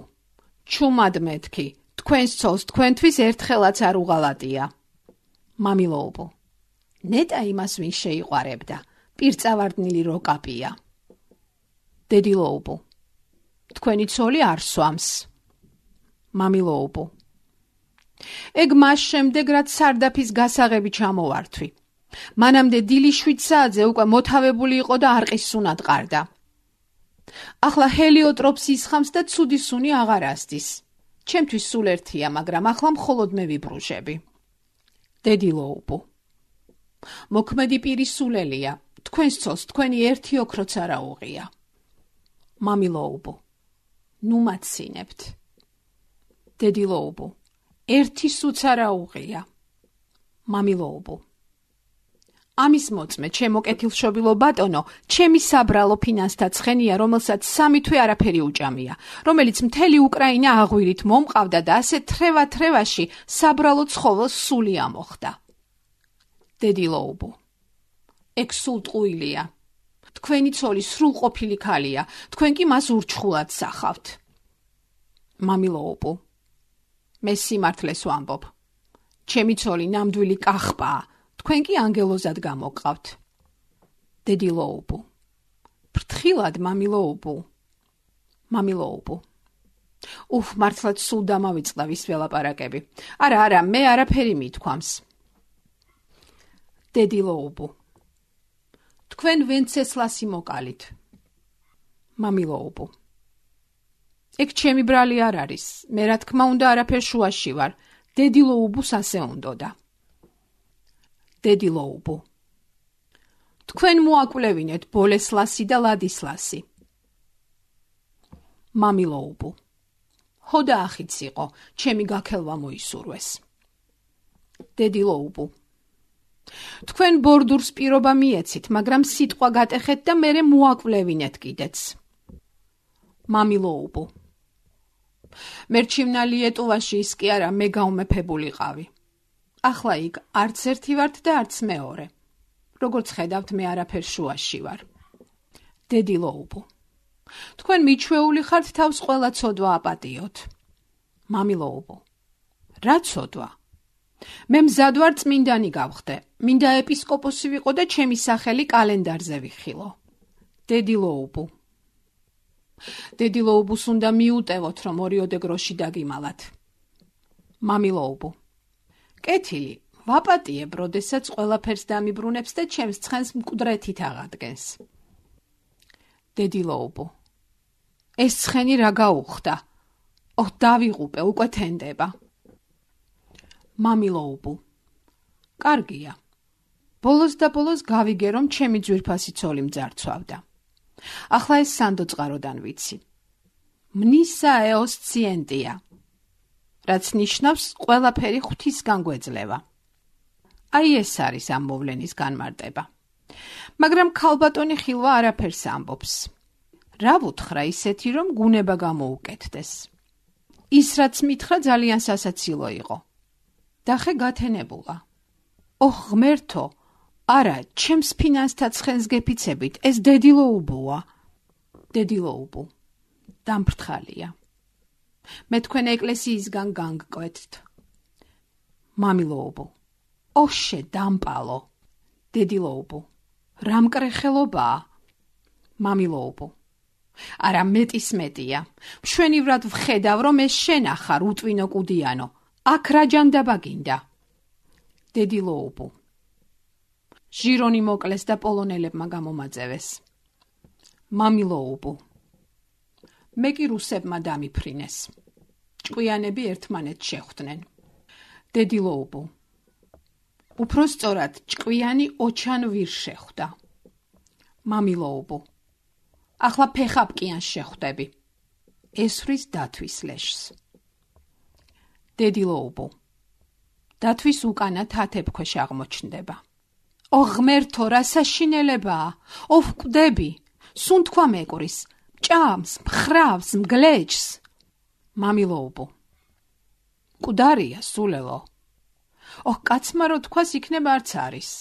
ჩუმად მეთქი, თქვენს ცოლს თქვენთვის ერთხელაც არ უღალატია. მამილოუბუ. ნეტა იმას ვინ შეიყვარებდა, პირწავარდნილი როკაპია. დედილოუბუ. თქვენი ცოლი არ სვამს. მამილოუბუ. ეგ მას შემდეგ, რაც სარდაფის გასაღები ჩამოვართვი. მანამდე დილის 7 საათზე უკვე მოთავებული იყო და არყის სუნად ყარდა. ახლა ჰელიოტროპს ისხამს და ცუდი სუნი აღარ ასდის. ჩემთვის სულ ერთია, მაგრამ ახლა მხოლოდ მე ვიბრუჟები. დედილოუბო. მოქმედი პირი სულელია. თქვენს ცოლს თქვენი ერთი ოქროც არა უღია. მამილოუბო. ნუ მაცინებთ. დედილოუბო. ერთი სუც არა უღია. მამილოუბო. ამის მოწმე, ჩემო კეთილშობილო ბატონო, ჩემი საბრალო ფინანსთა ცხენია, რომელსაც 3 თვე არაფერი უჭამია, რომელიც მთელი უკრაინა აღვირით მომყავდა და ასე თრევა-თრევაში საბრალო ცხოველს სული ამოხდა. დედილოუბო. ეგ სულ ტყუილია. თქვენი ცოლი სრულყოფილი ქალია, თქვენ კი მას ურჩხულად სახავთ. მამილოუბო. მე სიმართლეს ვამბობ. ჩემი ცოლი ნამდვილი კახპაა, თქვენ კი ანგელოზად გამოყავთ. დედილოუბო. ფრთხილად, მამილოუბო. მამილოუბო. მართლაც სულ დამავიწყდა ვის ველაპარაკები. არა, მე არაფერი მithქვამს. დედილოუბო. თქვენ ვენცესლასი მოკალით. მამილოუბო. ეგ ჩემი ბრალი არ არის. მე რა თქმა უნდა არაფერ შუაში ვარ. დედილოუბოს ასე უნდოდა. დედილოუბო. თქვენ მოაკვლევინეთ ბოლესლასი და ლადისლასი. მამილოუბო. ჰოდა ახიც იყო, ჩემი გაქელვა მოისურვეს. დედილოუბო. თქვენ ბორდურს პირობა მიეცით, მაგრამ სიტყვა გატეხეთ და მერე მოაკვლევინეთ კიდეც. მამილოუბო. მერჩივნა ლიეტუვაში ის კი არა, მე გაუმეფებულიყავი. ახლა იქ არც ერთი ვართ და არც მეორე. როგორც ხედავთ, მე არაფერ შუაში ვარ. დედილოუბო. თქვენ მიჩვეული ხართ თავს ყველა ცოდვა აპატიოთ. მამილოუბო. რა ცოდვა? მე მზად ვარ წმინდანი გავხდე. მინდა ეპისკოპოსი ვიყო და ჩემი სახელი კალენდარზე ვიხილო. დედილოუბო. დედილოუბოს უნდა მიუტევოთ, რომ ორიოდე გროში დაგიმალათ. მამილოუბო. კეთილი, ვაპატიებ, როდესაც ყველაფერს დამიბრუნებს და ჩემს ცხენს მკვდრეთით აღადგენს. დედილოუბო. ეს ცხენი რა გაუხდა? დავიღუპე, უკვე თენდება. მამილოუბო. კარგია. ბოლოს და ბოლოს გავიგე, რომ ჩემი ძვირფასი ცოლი მძარცვავდა. ახლა ეს სანდო წყაროდან ვიცი. მნისა ეოსციენტია. რაც ნიშნავს ყველაფერი ღვთისგან გვეძლევა. აი ეს არის ამ მოვლენის განმარტება. მაგრამ ქალბატონი ხილვა არაფერს ამბობს. რა ვუთხრა ისეთი, რომ გუნება გამოუკეთდეს. ის რაც მითხრა ძალიან სასაცილო იყო. დახე გათენებულა. ღმერთო, არა, ჩემს ფინანსთა ცხენს გეფიცებით, ეს დედილოუბოა. დედილოუბო. დამფრთხალია. მე თქვენ ეკლესიისგან განგკვეთთ. მამილოუბო. დამპალო. დედილოუბო. რა მკრეხელობაა? მამილოუბო. არა, მეტის მეტია. მშვენივრად ვხედავ, რომ ეს შენ ახარ, უტვინო კუდიანო. აქ რა ჯანდაბა გინდა? დედილოუბო. ჟირონი მოკლეს და პოლონელებმა გამომაწევეს. მამილოუბო. მე კი რუსებმა დამიფრინეს. ჭკვიანები ერთმანეთს შეხვდნენ. დედილოუბო. უფრო სწორად, ჭკვიანი ოჩან ვირ შეხვდა. მამილოუბო. ახლა ფეხაპკიანს შეხვდები. ესვრის დათვის ლეშს. დედილოუბო. დათვის უკანა თათებქვეშ აღმოჩნდება. ღმერთო, რა საშინელებაა! ვკვდები, სუნთქვა მეკურის, ჭამს, მხრავს, მგლეჯს. მამილოუბო. მკვდარია, სულელო. კაცმა რო თქვას, იქნება არც არის.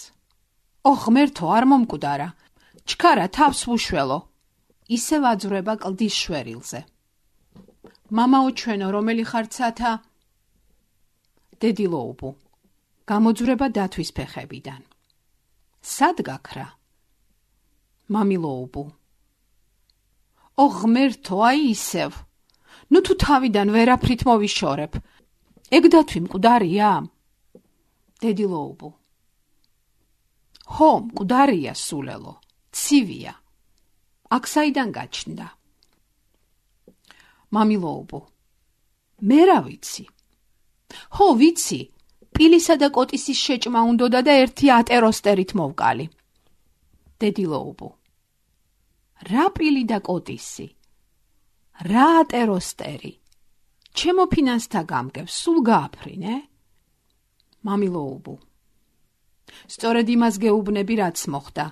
ღმერთო, არ მომკვდარა. ჩქარა თავს ვუშველო. ისევ აძვრება კლდის შვერილზე. მამაო ჩვენო, რომელი ხარ ცათა? დედილოუბო. გამოძვრება დათვის ფეხებიდან. სად გაქრა? მამილოუბო. ღმერთო, აი ისევ. ნუ თუ თავიდან ვერაფრით მოვიშორებ. ეგ დათვი მკვდარია? დედილოუბო. ჰო, მკვდარია სულელო, ცივია. აქ საიდან გაჩნდა? მამილოუბო. მე რა ვიცი? ჰო, ვიცი, პილისა და კოტისის შეჭმა უნდოდა და ერთი ატეროსტერით მოვკალი. დედილოუბო. რა პილი და კოტისი? რა ატეროსტერი? ჩემო ფინანსთა გამგებს სულ გააფრინე? მამილოუბო. სწორედ იმას გეუბნები, რაც მოხდა.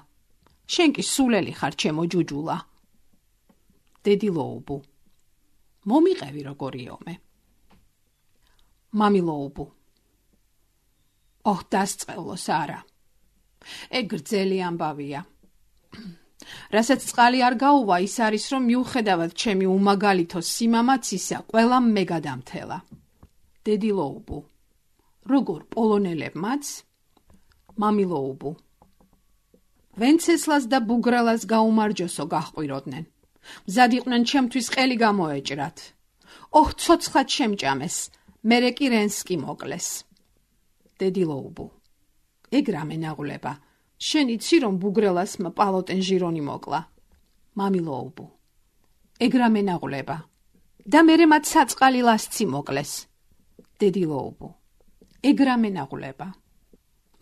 შენ კი სულელი ხარ, ჩემო ჯუჯულა. დედილოუბო. მომიყევი როგორი ომე. მამილოუბო. ოჰ, დასწყევლოს არა. ეგ გრძელი ამბავია. რასაც წყალი არ გაუვა, ის არის, რომ მიუხედავად ჩემი უმაგალითო სიმამაცისა, ყველამ მე გადამთელა. დედილოუბო. როგორ პოლონელებმაც? მამილოუბო. ვენცესლას და ბუგრელას გაუმარჯოსო გაჰყვიროდნენ. მზად იყვნენ ჩემთვის ყელი გამოეჭრათ. ოჰ, ცოცხლად შემჭამეს, მერე კი რენსკი მოკლეს. დედილოუბო. ეგ რა მენაღვლება? შენ იცი, რომ ბუგრელასმა პალოტენ ჟირონი მოკლა? მამილოუბო. ეგ რა მენაღვლება? და მერე მათ საწყალი ლასცი მოკლეს. დედილოუბო. ეგ რა მენაღვლება?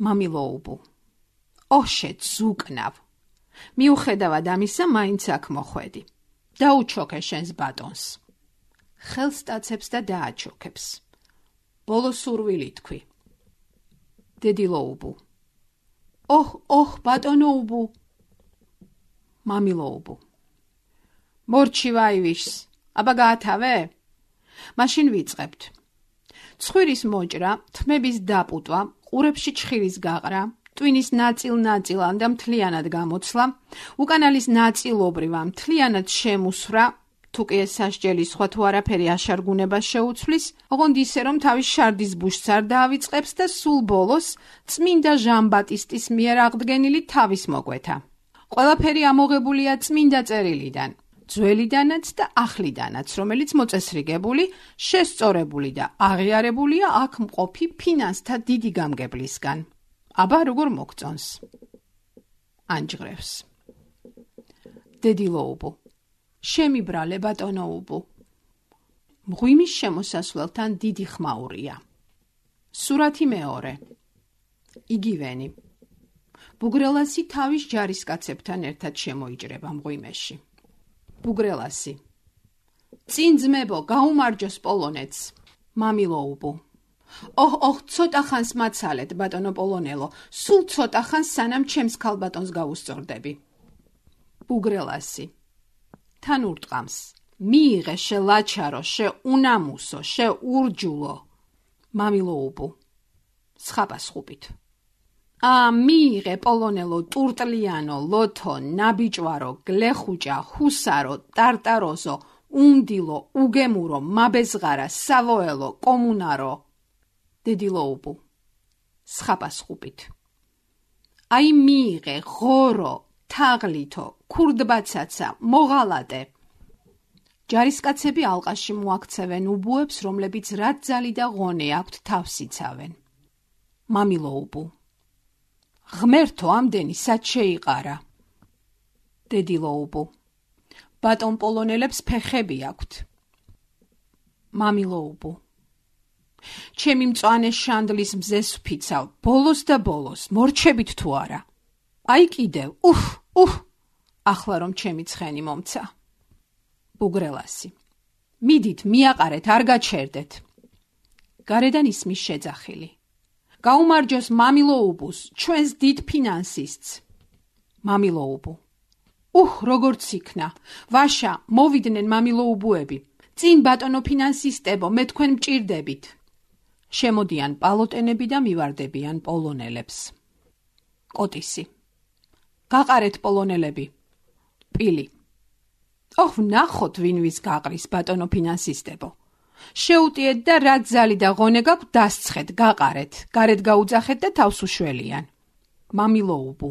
მამილოუბო. ოჰ, შეძუკნავ. მიუხედავად ამისა, მაინც აქ მოხვედი. დაუჩოქე შენს ბატონს. ხელს სტაცებს და დააჩოქებს. ბოლო სურვილი თქვი. დედილოუბო. ოჰ, ბატონოუბო. მამილოუბო. მორჩი ვაივიშს, აბა გაათავე? მაშინ ვიწყებთ. ცხვირის მოჭრა, თმების დაპუტვა, ყურებში ჩხირის გაყრა, ტვინის ნაწილ-ნაწილად და მთლიანად გამოცლა, უკანალის ნაწილობრივ ამ მთლიანად შემუსვრა, თუ კი ეს სასჯელი სხვა თუ არაფერი აშარგუნებას შეუცვლის, ოღონდ ისე, რომ თავის შარდის ბუშს არ დაავიწყებს და სულ ბოლოს წმინდა ჟან ბატისტის მიერ აღდგენილი თავის მოკვეთა. ყველაფერი ამოღებულია წმინდა წერილიდან, ძველიდანაც და ახლიდანაც, რომელიც მოწესრიგებული, შესწორებული და აღიარებულია აქ მყოფი ფინანსთა დიდი გამგებლისგან. აბა როგორ მოგწონს? ანჯღრევს. დედილოუბო. შემიბრალე ბატონოუბო. მღვიმის შემოსასვლელთან დიდი ხმაურია. სურათი მეორე. იგივენი. ბუგრელასი თავის ჯარისკაცებთან ერთად შემოიჭრება მღვიმეში. ბუგრელასი. წინ ძმებო, გაუმარჯოს პოლონეთს. მამილოუბო. ოჰ, ცოტა ხანს მაცალეთ, ბატონო პოლონელო, სულ ცოტა ხანს სანამ ჩემს ქალბატონს გავუსწორდები. ბუგრელასი. თან ურტყამს. მიიღე შე ლაჩარო, შე უნამუსო, შე ურჯულო. მამილოუბო. სხაპასხუპით. მიიღე პოლონელო, ტურტლიანო, ლოთო, ნაბიჭვარო, გლეხუჭა, ჰუსარო, ტარტაროზო, უნდილო, უგემურო, მაბეზღარა, სავოელო, კომუნარო. დედილოუბო. სხაპასხუპით. მიიღე ღორო, თაღლითო, ქურდბაცაცა, მოღალატე. ჯარისკაცები ალყაში მოაქცევენ უბუებს, რომლებიც რაც ძალი და ღონე აქვთ თავს იცავენ. მამილოუბო. ღმერთო, ამდენი სად შეიყარა? დედილოუბო. ბატონ პოლონელებს ფეხები აქვთ. მამილოუბო. ჩემი მწვანე შანდლის მზეს ვფიცავ, ბოლოს და ბოლოს, მორჩებით თუ არა? კიდევ, ახლა რომ ჩემი ცხენი მომცა. ბუგრელასი. მიდით, მიაყარეთ, არ გაჩერდეთ. გარედან ისმის შეძახილი. გაუმარჯოს მამილოუბუს, ჩვენს დიდ ფინანსისტს. მამილოუბო. როგორც იქნა. ვაშა, მოვიდნენ მამილოუბუები. წინ ბატონო ფინანსისტებო, მე თქვენ მჭირდებით. შემოდიან პალოტენები და მივარდებიან პოლონელებს. კოტისი. გაყარეთ პოლონელები. პილი. ვნახოთ ვინ ვის გაყრის, ბატონო ფინანსისტებო. შეუტიეთ და რაც ძალი და ღონე გაქვთ, დასცხეთ, გაყარეთ, გარეთ გაუძახეთ და თავს უშველიან. მამილოუბუ.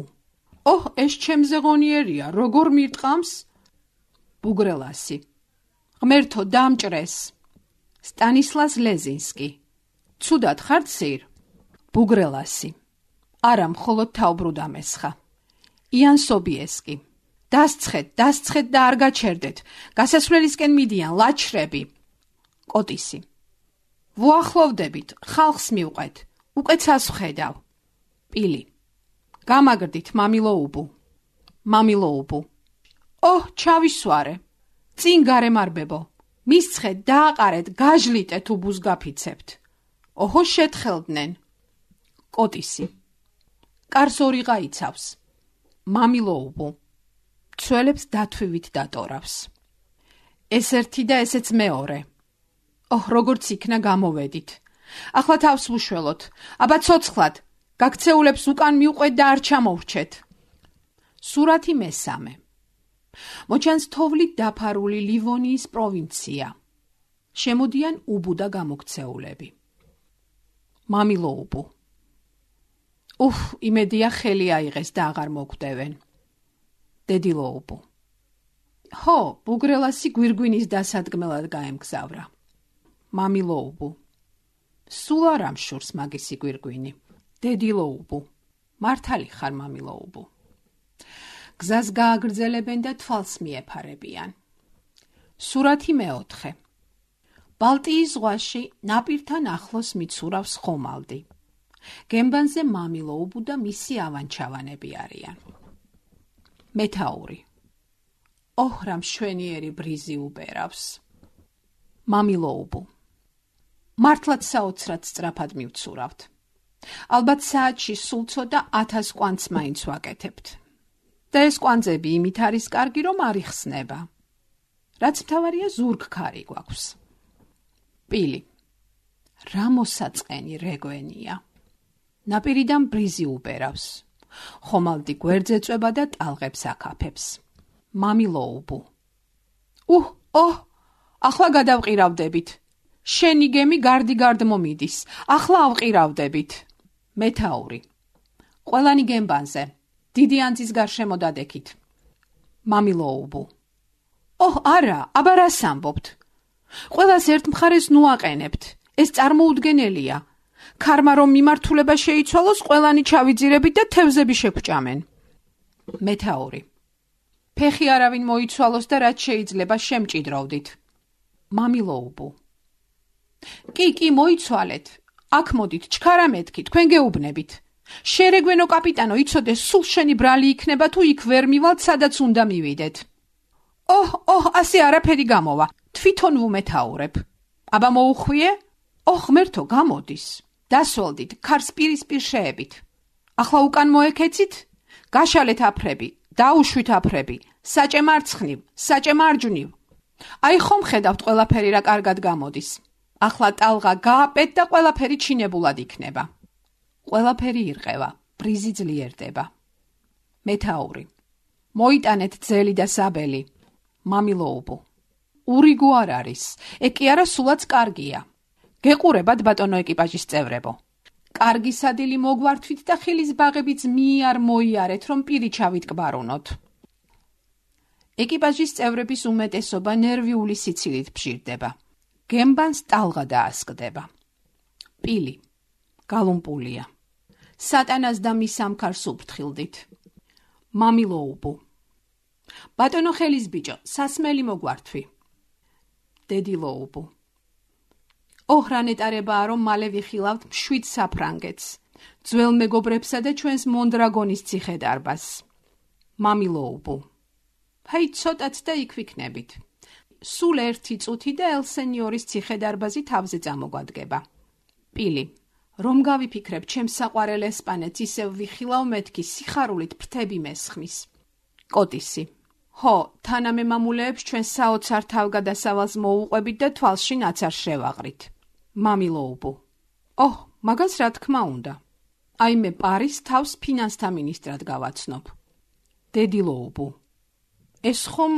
ეს ჩემზე ღონიერია, როგორ მირტყამს? ბუგრელასი. ღმერთო, დამჭრეს. სტანისლას ლეზინსკი. ცუდად ხარ ცირ? ბუგრელასი. არა, მხოლოდ თავბრუდ ამესხა. იან სობიესკი. დასცხეთ და არ გაჩერდეთ. გასასვლელისკენ მიდიან ლაჩრები. კოტისი. ვუახლოვდებით, ხალხს მივყეთ. უკეცას ვხედავ. პილი. გამაგრდით, მამილოუბუ. მამილოუბუ. ოჰ, ჩავისვარე. წინ გარემარბებო. მისცხეთ, დააყარეთ, გაჟლიტეთ უბუს გაფიცებთ. ოჰო, შეთხელდნენ. კოტისი. კარს ორი გაიცავს. მამილოუბუ. ცველებს დათვივით დატორავს. ეს ერთი და ესეც მეორე. ოჰ, როგორც იქნა გამოვედით. ახლა თავს ვუშველოთ. აბა ცოცხლად. გაქცეულებს უკან მიუყვეთ და არ ჩამოვრჩეთ. სურათი მესამე. მოჩანს თოვლით დაფარული ლივონიის პროვინცია. შემოდიან უბუ და გამოქცეულები. მამილოუბუ. იმედია ხელი აიღეს და აღარ მოგვდევენ. დედილოუბუ. ჰო, ბუგრელასი გვირგვინის დასადგმელად გაემგზავრა. მამილოუბუ. სულ არ ამშურს მაგისი გვირგვინი. დედილოუბუ. მართალი ხარ, მამილოუბუ. გზას გააგრძელებენ და თვალს მიეფარებიან. სურათი მეოთხე. ბალტიის ზღვაში ნაპირთან ახლოს მიცურავს ხომალდი. გემბანზე მამილოუბუ და მისი ავანჩავანები არიან. მეთაური. ოჰ, რა მშვენიერი ბრიზი უბერავს. მამილოუბუ. მართლაც საოცრად სწრაფად მივცურავთ. ალბათ საათში სულ ცოტა 1000 კვანძს მაინც ვაკეთებთ. და ეს კვანძები იმით არის კარგი, რომ არ იხსნება. რაც მთავარია, ზურგქარი გვაქვს. პილი. რა მოსაწყენი რეგვენია. ნაპირიდან ბრიზი უბერავს. ხომალდი გვერდზე წვება და ტალღებს აკაფებს. მამილოუბუ. ახლა გადავყირავდებით. შენი გემი გარდიგარდ მომიდის. ახლა ავყირავდებით. მეთაური. ყველანი გემბანზე. დიდი ანძის გარშემო დადექით. მამილოუბუ. არა, აბა რას ამბობთ? ყველას ერთ მხარეს ნუაყენებთ. ეს წარმოუდგენელია. ქარმა რომ მიმართულება შეიცვალოს, ყველანი ჩავიძირებით და თევზები შეგვჭამენ. მეთაური. ფეხი არავინ მოიცვალოს და რაც შეიძლება შემჭიდროვდით. მამილოუბუ. კი, მოიცვალეთ. აქ მოდით, ჩქარა მეთქი, თქვენ გეუბნებით. შერეგვენო კაპიტანო, იცოდე, სულ შენი ბრალი იქნება თუ იქ ვერ მივალთ, სადაც უნდა მივიდეთ. ასე არაფერი გამოვა. თვითონ ვუმეთაურებ. აბა მოუხვიე? ღმერთო, გამოდის. დასვოლდით, ქარს პირისპირ შეებით. ახლა უკან მოექეცით? გაშალეთ აფრები, დაუშვით აფრები, საჭე მარცხნივ, საჭე მარჯვნივ. აი ხომ ხედავთ ყველაფერი რა კარგად გამოდის. ახლა ტალღა გააპეთ და ყველაფერი ჩინებულად იქნება. ყველაფერი ირყევა, ბრიზი ძლიერდება. მეთაური. მოიტანეთ ძელი და საბელი. მამილოუბუ. ურიგო არ არის, ეკი არა სულაც კარგია. გეყურებათ ბატონო ეკიპაჟის წევრებო. კარგი სადილი მოგვართვით და ხილის ბაღებიც მიარ მოიარეთ, რომ პირი ჩავიტკბარუნოთ. ეკიპაჟის წევრების უმეტესობა ნერვიული სიცილით ბჟირდება. გემბანს ტალღა დაასკდება. პილი. გალუმპულია. სატანას და მის სამქარს უფრთხილდით. მამილოუბუ. ბატონო ხელის ბიჭო, სასმელი მოგვართვი. დედილოუბუ. რა ნეტარებაა, რომ მალე ვიხილავთ 7 საფრანგეთს, ძველ მეგობრებსა და ჩვენს მონდრაგონის ციხედარბაზს. მამილოუბუ. ჰაი, ცოტაც და იქ ვიქნებით. სულ 1 წუთი და ელსენიორის ციხედარბაზი თავზე წამოგვადგება. პილი. რომ გავიფიქრებ, ჩემს საყვარელ ესპანეთს ისევ ვიხილავ მეთქი, სიხარულით ფრთები მესხმის. კოტისი. თანამემამულეებს ჩვენ საოცარ თავგადასავალს მოუყვებით და თვალში ნაცარს შევაყრით. მამილოუბუ. მაგას რა თქმა უნდა. აი მე პარის თავს ფინანსთა მინისტრად გავაცნობ. დედილოუბუ. ეს ხომ,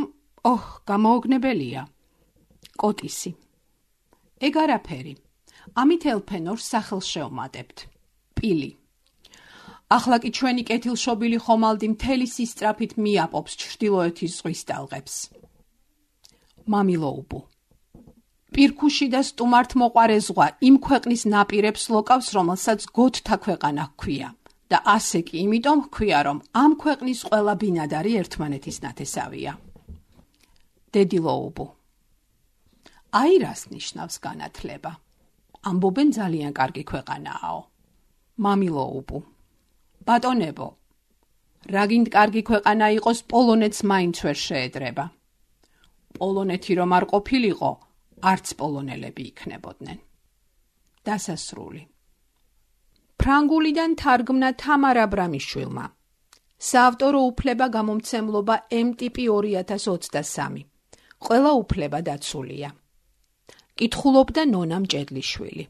გამოოგნებელია. კოტისი. ეგ არაფერი. ამით ელფენორს სახელს შევმატებთ. პილი. ახლა კი ჩვენი კეთილშობილი ხომალდი მთელი სისწრაფით მიაპობს ჩრდილოეთის ზღვის ტალღებს. მამილოუბუ. პირქუში და სტუმართ მოყარე ზღვა იმ ქვეყნის ნაპირებს ლოკავს, რომელსაც გოთთა ქვეყანა ჰქვია და ასე კი იმიტომ ჰქვია, რომ ამ ქვეყნის ყველა ბინადარი ერთმანეთის ნათესავია. დედილოუბუ. აი რას ნიშნავს განათლება? ამბობენ ძალიან კარგი ქვეყანააო. მამილოუბუ. ბატონებო, რაგინდ კარგი ქვეყანა იყოს, პოლონეთს მაინც ვერ შეედრება. პოლონეთი რომ არ ყოფილიყო, არც პოლონელები იქნებოდნენ. დასასრული. ფრანგულიდან თარგმნა თამარ აბრამიშვილმა. საავტორო უფლება გამომცემლობა M-ტიპი 2023. ყველა უფლება დაცულია. კითხულობდა ნონა მჭედლიშვილი.